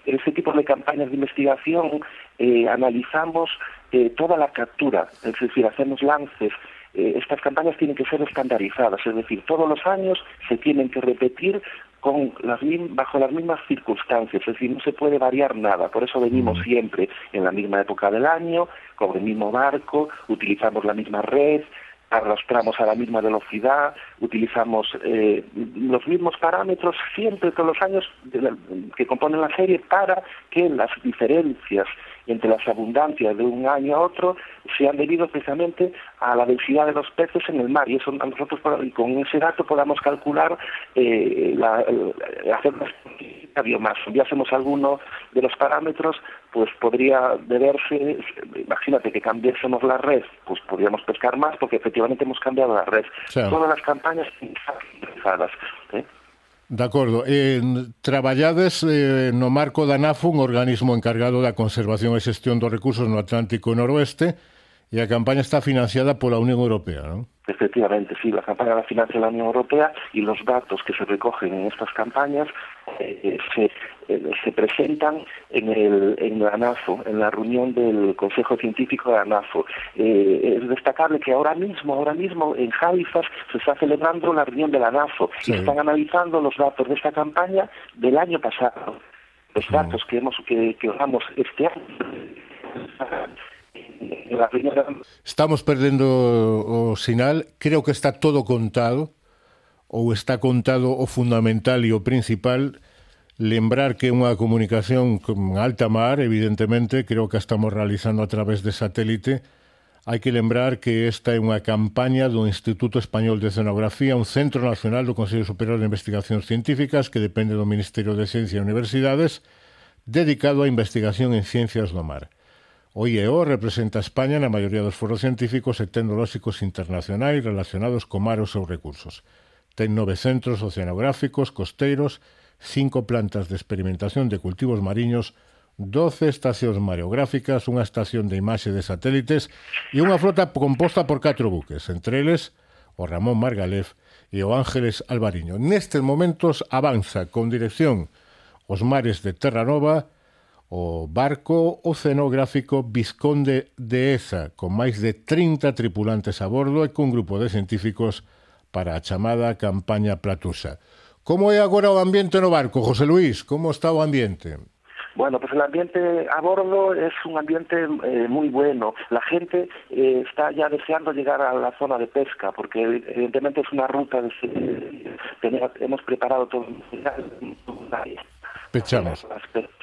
Ese tipo de campañas de investigación eh, analizamos eh, toda la captura, es decir, hacemos lances. Eh, estas campañas tienen que ser estandarizadas, es decir, todos los años se tienen que repetir con las, bajo las mismas circunstancias, es decir, no se puede variar nada, por eso venimos mm. siempre en la misma época del año, con el mismo barco, utilizamos la misma red, arrastramos a la misma velocidad, utilizamos eh, los mismos parámetros siempre todos los años de la, que componen la serie para que las diferencias entre las abundancias de un año a otro sean debido precisamente a la densidad de los peces en el mar y eso nosotros con ese dato podamos calcular eh, la, la, hacer la biomasa. Si hacemos alguno de los parámetros, pues podría deberse, imagínate que cambiásemos la red, pues podríamos pescar más porque efectivamente hemos cambiado la red. Sí. Todas las campañas están realizadas, ¿eh? De acordo. Eh, traballades eh, no marco da NAFO, un organismo encargado da conservación e xestión dos recursos no Atlántico Noroeste, e a campaña está financiada pola Unión Europea, non? Efectivamente, sí, la campaña la financia la Unión Europea y los datos que se recogen en estas campañas eh, se, eh, se presentan en, el, en la NAFO, en la reunión del Consejo Científico de la NAFO. Eh, es destacable que ahora mismo, ahora mismo en Halifax se está celebrando la reunión de la NAFO sí. y están analizando los datos de esta campaña del año pasado. Los sí. datos que hemos que, que usamos este año. Estamos perdendo o sinal, creo que está todo contado ou está contado o fundamental e o principal. Lembrar que unha comunicación con alta mar, evidentemente, creo que a estamos realizando a través de satélite. Hai que lembrar que esta é unha campaña do Instituto Español de Oceanografía, un centro nacional do Consello Superior de Investigacións Científicas que depende do Ministerio de Ciencia e Universidades, dedicado á investigación en ciencias do mar. O I E O representa a España na maioría dos foros científicos e tecnolóxicos internacionais relacionados co mar e os seus recursos. Ten nove centros oceanográficos, costeiros, cinco plantas de experimentación de cultivos mariños, doce estacións mareográficas, unha estación de imaxe de satélites e unha flota composta por catro buques, entre eles o Ramón Margalef e o Ángeles Alvariño. Nestes momentos avanza con dirección aos mares de Terranova o barco oceanográfico Visconde de Eza, con máis de trinta tripulantes a bordo e con un grupo de científicos para a chamada campaña Platusa. Como é agora o ambiente no barco, José Luis? Como está o ambiente? Bueno, pues el ambiente a bordo es un ambiente eh, muy bueno. La gente eh, está ya deseando llegar a la zona de pesca, porque evidentemente es una ruta de... Tenemos, hemos preparado todo... Pechamos.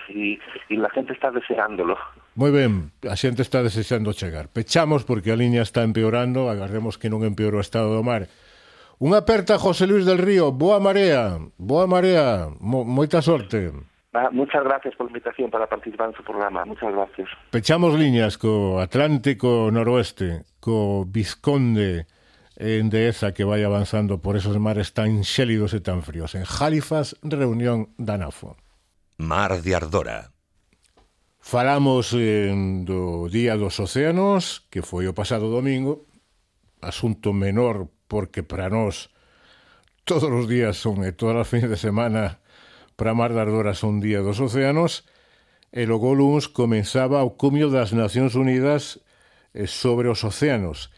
Y, y la gente está deseándolo. Moi ben, a xente está desexando chegar. Pechamos porque a liña está empeorando, agardemos que non empeore o estado do mar. Unha aperta, José Luis del Río, boa marea, boa marea, mo, moita sorte. Ah, muchas gracias por la invitación para participar en su programa, muchas gracias. Pechamos liñas co Atlántico Noroeste, co Visconde en Dehesa que vai avanzando por esos mares tan xélidos e tan fríos. En Halifax, reunión da NAFO. Mar de Ardora. Falamos eh, do Día dos Océanos, que foi o pasado domingo, asunto menor porque para nós todos os días son e todas as fines de semana para Mar de Ardora son Día dos Océanos, e logo luns comenzaba o cumio das Nacións Unidas eh, sobre os océanos,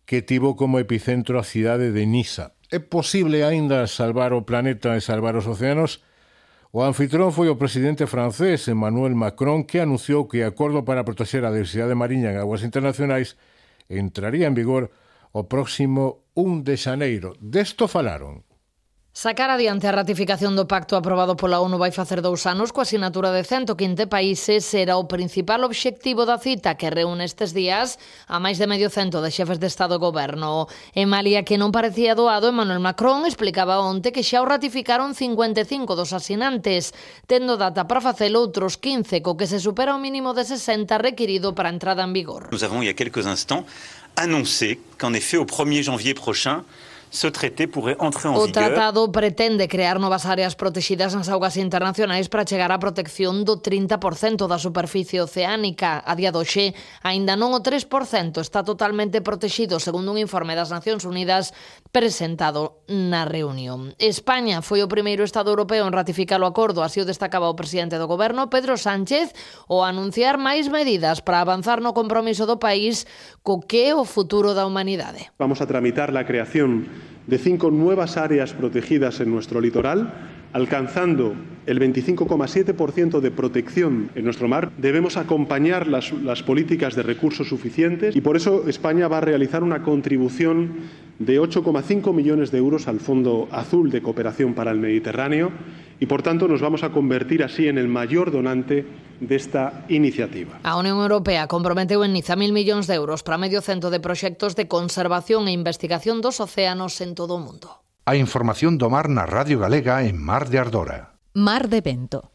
que tivo como epicentro a cidade de Niza. É posible aínda salvar o planeta e salvar os océanos? O anfitrón foi o presidente francés Emmanuel Macron, que anunciou que o acordo para proteger a diversidade mariña en aguas internacionais entraría en vigor o próximo un de xaneiro. Desto falaron. Sacar adiante a ratificación do pacto aprobado pola ONU vai facer dous anos coa asinatura de ciento quince países era o principal obxectivo da cita que reúne estes días a máis de medio cento de xefes de Estado e Goberno. En Malia que non parecía doado, Emmanuel Macron explicaba onte que xa o ratificaron cincuenta e cinco dos asinantes, tendo data para facelo outros quince, co que se supera o mínimo de sesenta requirido para a entrada en vigor. Nous avons, il y a quelques instants, annoncé qu'en effet, au premier janvier prochain, ce traité pourrait entrer en vigueur. O tratado pretende crear novas áreas protegidas nas augas internacionais para chegar á protección do trinta por cento da superficie oceánica. A día doxe, aínda non o tres por cento está totalmente protegido, segundo un informe das Nacións Unidas presentado na reunión. España foi o primeiro Estado europeo en ratificar o acordo, así o destacaba o presidente do Goberno, Pedro Sánchez, o anunciar máis medidas para avanzar no compromiso do país co que é o futuro da humanidade. Vamos a tramitar la creación de cinco nuevas áreas protegidas en nuestro litoral, alcanzando el veinticinco coma siete por ciento de protección en nuestro mar. Debemos acompañar las, las políticas de recursos suficientes y por eso España va a realizar una contribución de ocho coma cinco millones de euros al Fondo Azul de Cooperación para el Mediterráneo y, por tanto, nos vamos a convertir así en el mayor donante desta iniciativa. A Unión Europea comprometeu en Niza mil millóns de euros para medio cento de proxectos de conservación e investigación dos océanos en todo o mundo. A información do mar na Radio Galega en Mar de Ardora. Mar de Vento.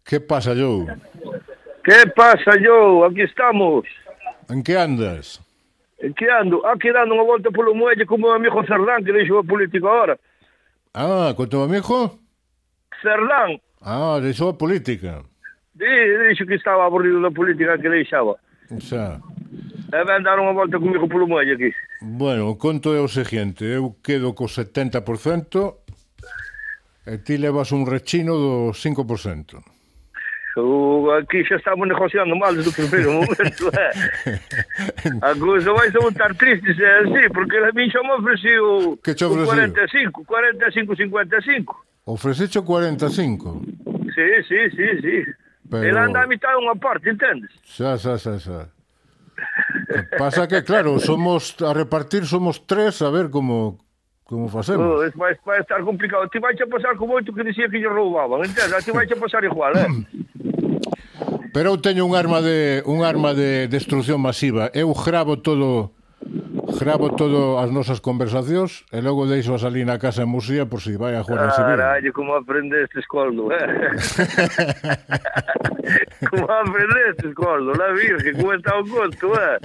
Que pasa, Joe? Que pasa, Joe? Aquí estamos. En que andas? En que ando? Aquí dando unha volta polo muelle como o amigo Cerdán, que deixou a política agora. Ah, con teu amigo? Cerdán. Ah, deixou a política. Sí, dixo que estaba aburrido da política que deixaba. Xa. E ven dar unha volta comigo polo muelle aquí. Bueno, o conto é o seguinte, eu quedo co setenta por cento e ti levas un rechino do cinco por cento. Uh, aquí xa estamos negociando mal desde o primeiro momento, eh? A cousa vai a voltar triste se é así, porque a mí xa me ofreciu o cuarenta e cinco, cuarenta e cinco, cincuenta e cinco. Ofrececho cuarenta e cinco? Sí, sí, sí, sí. Pero... Ele anda a mitad unha parte, entendes? Xa, xa, xa, xa. Pasa que, claro, somos a repartir somos tres, a ver como como facemos. Oh, vai, vai estar complicado. Ti vai a pasar como oito que dicía que lle roubaban, entendes? Ti vai a pasar igual, eh? Pero eu teño un arma de un arma de destrucción masiva. Eu gravo todo gravo todo as nosas conversacións e logo deixo a salir na casa en Musía por si vai a Guardia Civil. Carallo, como aprendeste, Coldo, eh? Como aprendeste, Coldo, la virgen, como está o conto, eh?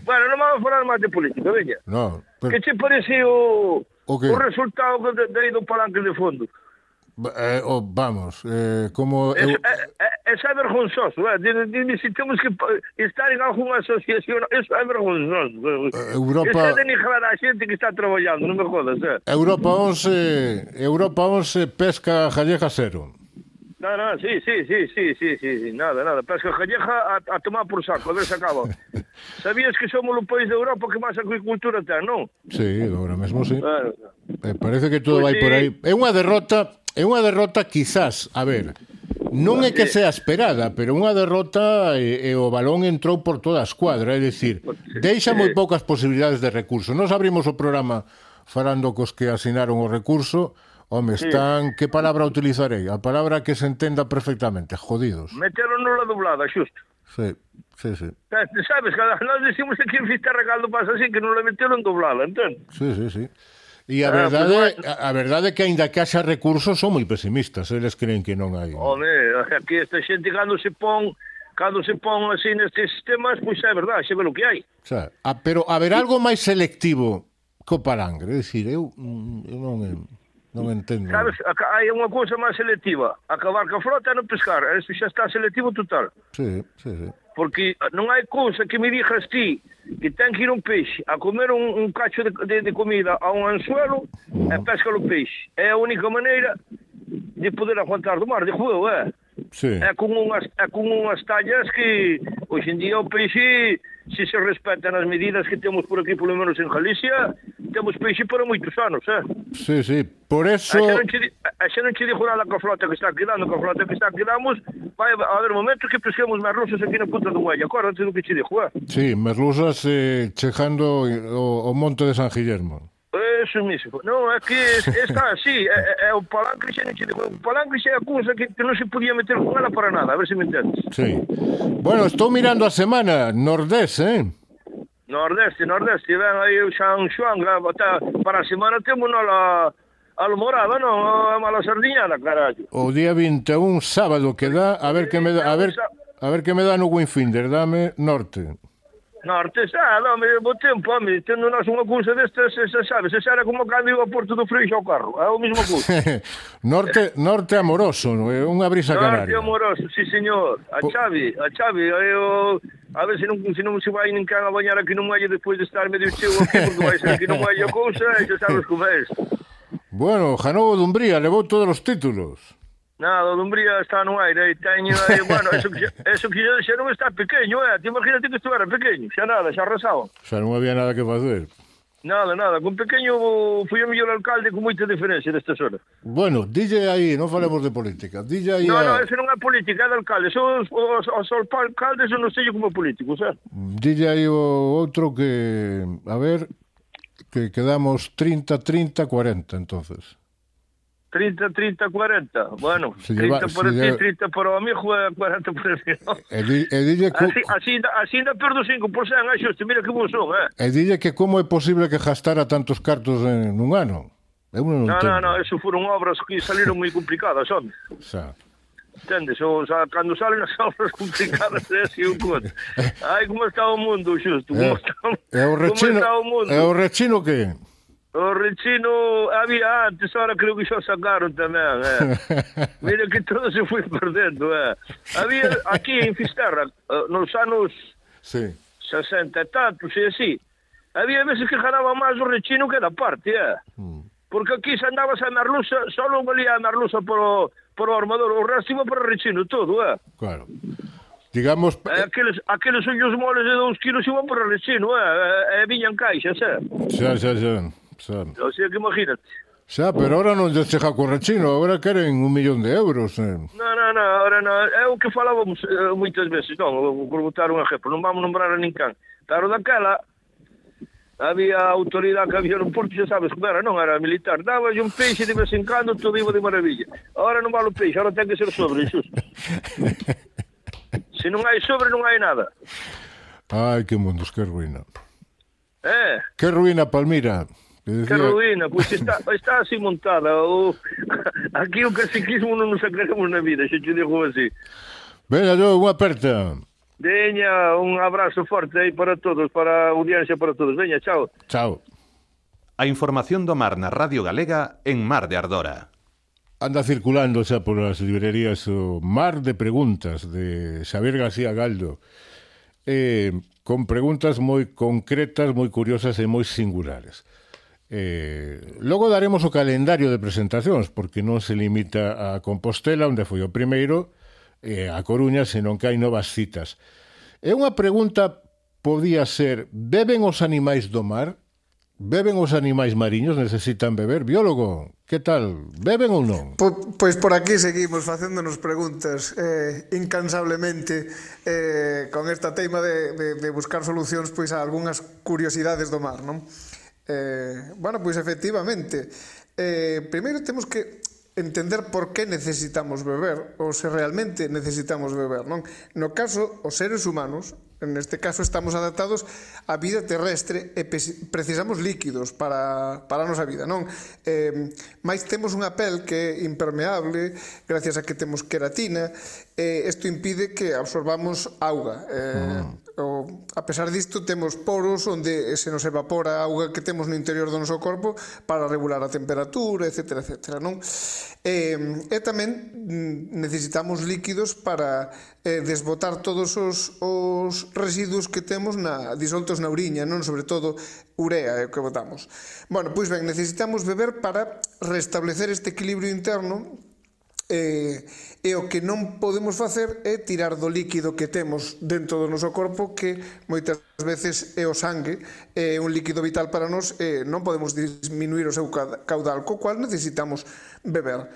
Bueno, non vamos a falar máis de política, veña. No, pero... Que che parece o, o, o resultado de, de aí do palanque de fondo? Eh, oh, vamos, eh, como... É, eu... é, é, é vergonzoso, eh? Dime se temos que estar en alguna asociación, eso é vergonzoso. Europa... Eso é denigrar a xente que está traballando, non me jodas, eh? Europa once, Europa once, pesca gallega cero. No, no, sí, sí, sí, sí, sí, sí, sí, nada, nada, pesca gallega a, a tomar por saco, a ver se acaba. Sabías que somos o país de Europa que máis agricultura ten, non? Sí, agora mesmo sí. Bueno, eh, parece que todo pues vai sí. por aí. É unha derrota... É unha derrota quizás, a ver, non é que sea esperada, pero unha derrota e, e o balón entrou por toda a escuadra, é dicir, deixa moi poucas posibilidades de recurso. Nos abrimos o programa falando cos que asinaron o recurso, home, están, que palabra utilizarei? A palabra que se entenda perfectamente, jodidos. Meteron nula doblada, xusto. Sí, sí, sí. Sabes, nós decimos que en Fisterra Caldo pasa así, que non la meteron doblada, entende? Sí, sí, sí. E a verdade, a verdade é que aínda que haxa recursos son moi pesimistas, eles creen que non hai. Home, aquí esta xente cando se pon, cando se pon así nestes sistemas, pois é verdade, xe ve o que hai. O sea, a, pero haber algo máis selectivo co palangre, é dicir, eu, eu non non entendo. Sabes, hai unha cousa máis selectiva, acabar ca frota e non pescar, eso xa está selectivo total. Sí, sí, sí. Porque non hai cousa que me dixas ti que ten que ir un peixe a comer un, un cacho de, de, de comida a un anzuelo e pesca o peixe. É a única maneira de poder aguantar do mar, de juego, é? Sí. É con unhas, é con unhas tallas que hoxe en día o peixe, se se respetan as medidas que temos por aquí, polo menos en Galicia, temos peixe para moitos anos, é? Sí, sí, por eso... É que non che, e xa non che dixo nada coa flota que está quedando, coa flota que está quedamos, vai haber momentos que pesquemos merluzas aquí na punta do muelle, acórdate do que che dixo, eh? Sí, merluzas eh, chegando o, o monte de San Guillermo. Eso mismo. Non, é que está así, é, é o palanque xa non che dixo, o palanque xa é a cousa que, que non se podía meter con ela para nada, a ver se me entendes. Sí. Bueno, estou mirando a semana, Nordés, eh? Nordeste, Nordeste, ven aí o San Xoán, para a semana temos la almorada, non? A mala sardiñada, carallo. O día vinte e un, sábado, que dá, a ver que me dá, a ver, a ver que me dá no Winfinder, dame norte. Norte, xa, dame bo tempo, home, tendo nós unha cousa destas, xa sabes, xa era como cando iba a Porto do Freixo ao carro, é o mesmo cousa. norte, norte amoroso, é unha brisa canaria. Norte amoroso, sí, señor. A Chavi, a Chavi, eu... A ver se non, se non se vai nin can a bañar aquí no muelle despois de estar medio cheo aquí, porque vai ser aquí no muelle a cousa, e xa sabes como é. Bueno, Janovo Dumbría levou todos os títulos. Nada, o Dumbría está no aire, e teño aí, bueno, eso que, eso que xa non está pequeño, eh? Te imagínate que estuvera pequeño, xa nada, xa arrasaba. Xa non había nada que facer. Nada, nada, con pequeño fui o mellor alcalde con moita diferencia desta zona. Bueno, dille aí, non falemos de política, dille aí... No, a... no, eso non é política, é de alcalde, son os, os, os alcaldes eu non sei como políticos, eh? Dille aí o outro que, a ver, que quedamos trinta, trinta, cuarenta, entonces. trinta, trinta, cuarenta, bueno, se trinta lleva, por ti, lleva... trinta por o amigo e cuarenta por el amigo. E, di, e dille que... Así, así, así ainda perdo cinco por cento, é xusto, mira que bons son, eh? E dille que como é posible que gastara tantos cartos en un ano? Eu non no, entendo. no, no, eso foron obras que saliron moi complicadas, home. Xa. Entendes? O sea, cando salen as obras complicadas é así un conto. Ai, como está o mundo, xusto, como, É, está, é o rechino, como está o mundo. É o rechino que... O rechino había antes, ahora creo que xa sacaron tamén, eh. Mira que todo se foi perdendo, eh. Había aquí en Fisterra, nos anos sí. sesenta e tantos e así, había veces que ganaba máis o rechino que da parte, eh. Mm. Porque aquí se andabas a merluza, solo valía a merluza por o, por o armador, o resto iba para o rechino todo, eh. Claro. Digamos... Eh, aqueles, aqueles ollos moles de dous kilos iban para o rechino, eh. E viñan caixas, eh. Xa, xa, xa. Xa. O sea que imagínate. Xa, pero ahora non lle chega co rechino, agora queren un millón de euros. Eh. No, no, no, ahora non. É o que falábamos eh, moitas veces, non, por botar un exemplo, non vamos nombrar a ninguén. Pero daquela, había autoridade que había no Porto, xa sabes como era, non era militar. Daba un peixe de vez en cando, todo iba de maravilla. Ahora non vale o peixe, ahora ten que ser sobre, xusto. Se non hai sobre, non hai nada. Ai, que mundos, que ruína. Eh? Que ruína, Palmira. Que, decía... que ruína, pois pues está, está así montada. O... Aquí o caciquismo non nos agregamos na vida, xa te digo así. Veña, yo, unha aperta. Veña, un abrazo forte aí para todos, para a audiencia para todos. Veña, chao. Chao. A información do mar na Radio Galega en Mar de Ardora. Anda circulando xa por as librerías o Mar de Preguntas de Xavier García Galdo. Eh, con preguntas moi concretas, moi curiosas e moi singulares. Eh, logo daremos o calendario de presentacións, porque non se limita a Compostela, onde foi o primeiro, e a Coruña, senón que hai novas citas. E unha pregunta podía ser: beben os animais do mar? Beben os animais mariños? Necesitan beber? Biólogo, que tal? Beben ou non? Po, pois por aquí seguimos facéndonos preguntas eh, incansablemente eh, con esta teima de, de, de buscar solucións pois a algunhas curiosidades do mar, non? Eh, bueno, pois efectivamente, eh, primeiro temos que entender por que necesitamos beber ou se realmente necesitamos beber, non? No caso, os seres humanos, neste caso estamos adaptados á vida terrestre e precisamos líquidos para, para a nosa vida, non? Eh, mais temos unha pel que é impermeable gracias a que temos queratina e isto impide que absorbamos auga. Eh, mm. O, a pesar disto temos poros onde se nos evapora a auga que temos no interior do noso corpo para regular a temperatura, etcétera, etcétera, non? E, e tamén necesitamos líquidos para eh, desbotar todos os, os residuos que temos na, disoltos na uriña, non? Sobre todo urea é o que botamos. Bueno, pois ben, necesitamos beber para restablecer este equilibrio interno E, e o que non podemos facer é tirar do líquido que temos dentro do noso corpo, que moitas veces é o sangue, é un líquido vital para nós, e non podemos disminuir o seu caudal, co cual necesitamos beber.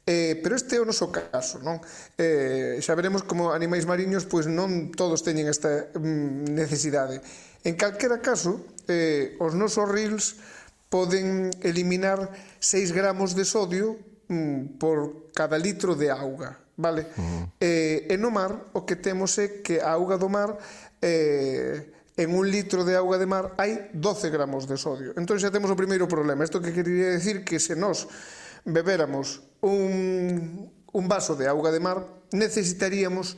Eh, pero este é o noso caso, non? Eh, xa veremos como animais mariños pois non todos teñen esta mm, necesidade. En calquera caso, eh, os nosos rils poden eliminar seis gramos de sodio mm, por cada litro de auga, vale? Uh-huh. Eh, e no mar o que temos é que a auga do mar eh, en un litro de auga de mar hai doce gramos de sodio. Entón xa temos o primeiro problema. Isto que quería decir que se nós bebéramos un, un vaso de auga de mar, necesitaríamos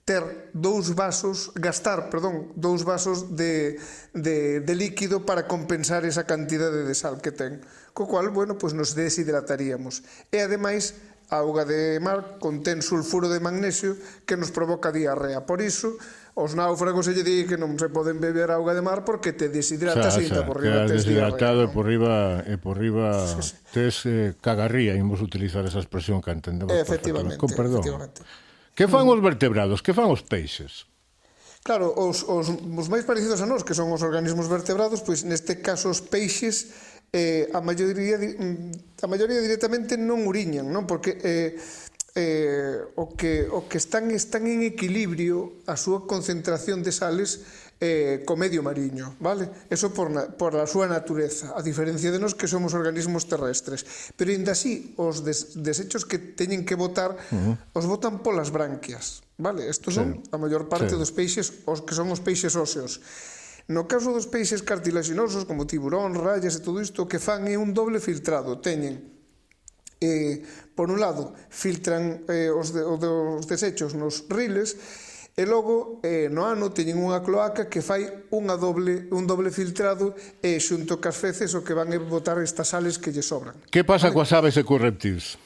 ter dous vasos, gastar, perdón, dous vasos de, de, de líquido para compensar esa cantidade de sal que ten. Co cual, bueno, pues nos deshidrataríamos. E, ademais, a auga de mar contén sulfuro de magnesio que nos provoca diarrea. Por iso, os náufragos se lle di que non se poden beber auga de mar porque te deshidratas e ainda por riba tes deshidratado diarrea. E por riba, e por riba sí, sí. tes eh, cagarría, imos utilizar esa expresión que entendemos. Efectivamente, con perdón. efectivamente. Que fan os vertebrados? Que fan os peixes? Claro, os, os, os máis parecidos a nós, que son os organismos vertebrados, pois neste caso os peixes, eh, a maioría a maioría directamente non uriñan, non? Porque eh, eh, o que o que están están en equilibrio a súa concentración de sales eh, co medio mariño, vale? Eso por, na, por a súa natureza, a diferencia de nós que somos organismos terrestres. Pero ainda así, os des, desechos que teñen que botar, uh-huh. os botan polas branquias, vale? Estos sí. son a maior parte sí. dos peixes, os que son os peixes óseos. No caso dos peixes cartilaxinosos, como tiburón, rayas e todo isto, o que fan é un doble filtrado. Teñen, eh, por un lado, filtran eh, os, de, os desechos nos riles, e logo eh, no ano teñen unha cloaca que fai unha doble, un doble filtrado e xunto cas feces o que van a botar estas sales que lle sobran. Que pasa vale? coas aves e cos reptiles?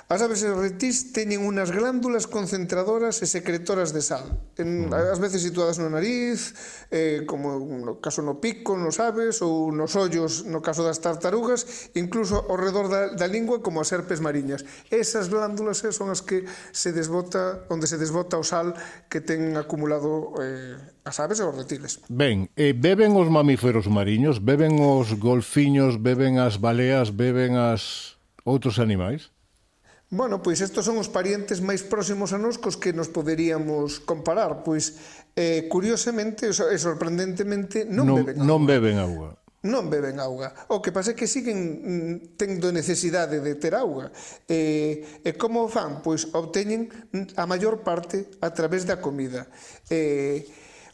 As aves e reptiles teñen unhas glándulas concentradoras e secretoras de sal, en, ás veces situadas no nariz, eh, como no caso no pico, nos aves, ou nos ollos, no caso das tartarugas, incluso ao redor da, da lingua, como as serpes mariñas. Esas glándulas eh, son as que se desbota, onde se desbota o sal que ten acumulado eh, as aves e os reptiles. Ben, eh, beben os mamíferos mariños, beben os golfiños, beben as baleas, beben as outros animais? Bueno, pois estos son os parientes máis próximos a nos cos que nos poderíamos comparar. Pois, eh, curiosamente e sorprendentemente, non, non beben auga. Non beben auga. Non beben auga. O que pasa é que siguen tendo necesidade de ter auga. E, e como fan? Pois obteñen a maior parte a través da comida. E,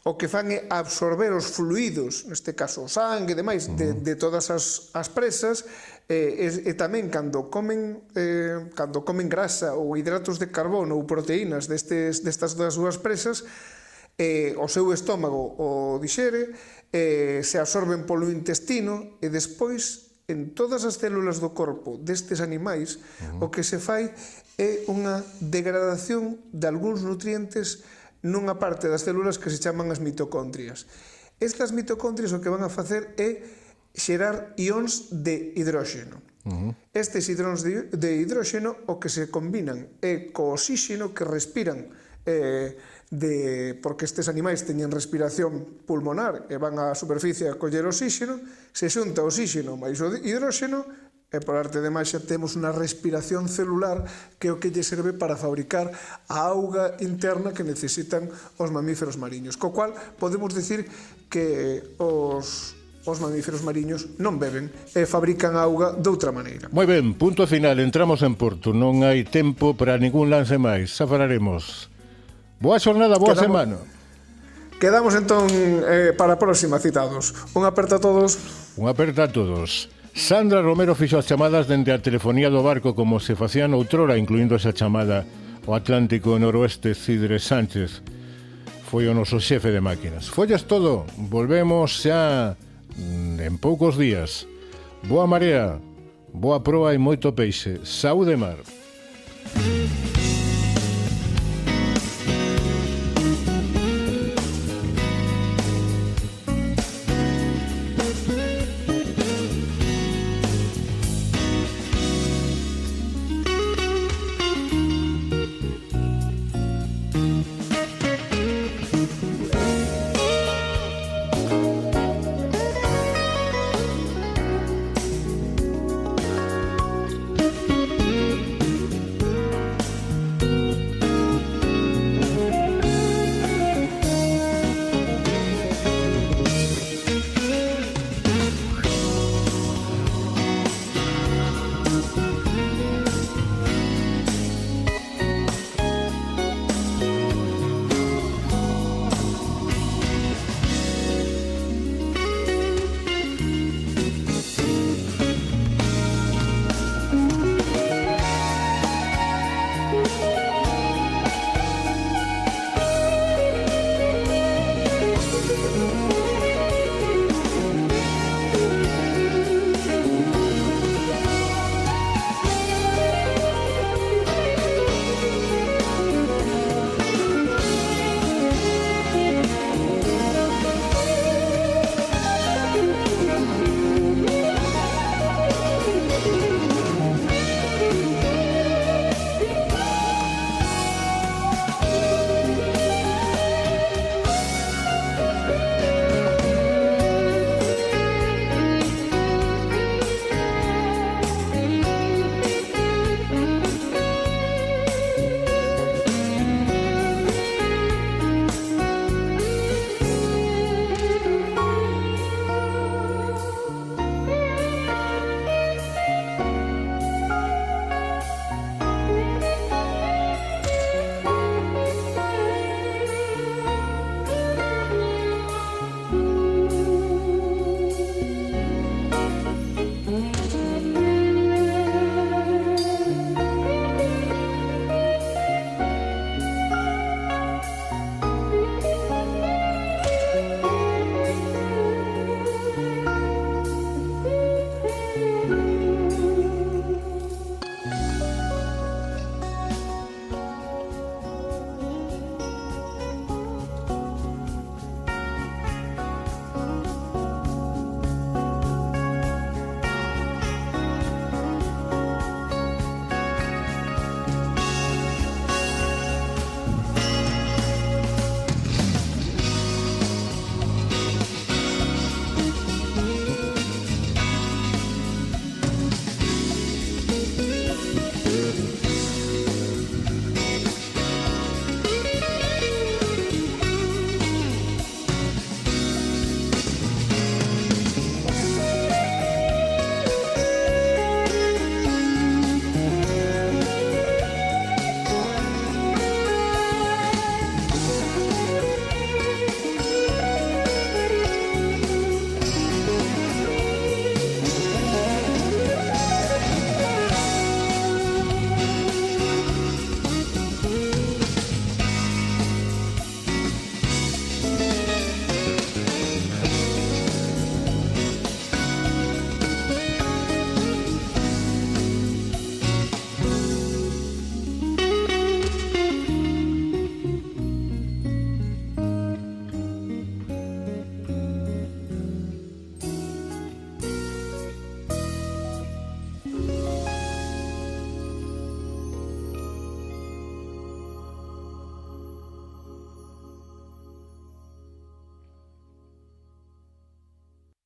o que fan é absorber os fluidos, neste caso o sangue e demais, uh-huh. de, de todas as, as presas, e, e, e tamén cando comen eh, cando comen grasa ou hidratos de carbono ou proteínas destes, destas das súas presas, eh, o seu estómago o dixere, eh, se absorben polo intestino e despois en todas as células do corpo destes animais uh-huh. o que se fai é unha degradación de algúns nutrientes nunha parte das células que se chaman as mitocondrias. Estas mitocondrias o que van a facer é xerar ións de hidróxeno. Uh-huh. Estes hidróns de, de hidróxeno o que se combinan é co oxíxeno que respiran, eh, de, porque estes animais teñen respiración pulmonar e van á superficie a coller oxíxeno, se xunta oxíxeno máis o hidróxeno e por arte de máxia temos unha respiración celular que é o que lle serve para fabricar a auga interna que necesitan os mamíferos mariños. Co cual podemos dicir que os os mamíferos mariños non beben e fabrican auga de outra maneira. Moi ben, punto final, entramos en Porto. Non hai tempo para ningún lance máis. Xa falaremos. Boa xornada, boa Quedamos... semana. Quedamos entón eh, para a próxima, citados. Un aperta a todos. Un aperta a todos. Sandra Romero fixo as chamadas dende a telefonía do barco como se facía noutrora, incluindo esa chamada ao Atlántico Noroeste. Cidre Sánchez foi o noso xefe de máquinas. Follas todo. Volvemos xa en poucos días. Boa marea, boa proa e moito peixe. Saúde mar.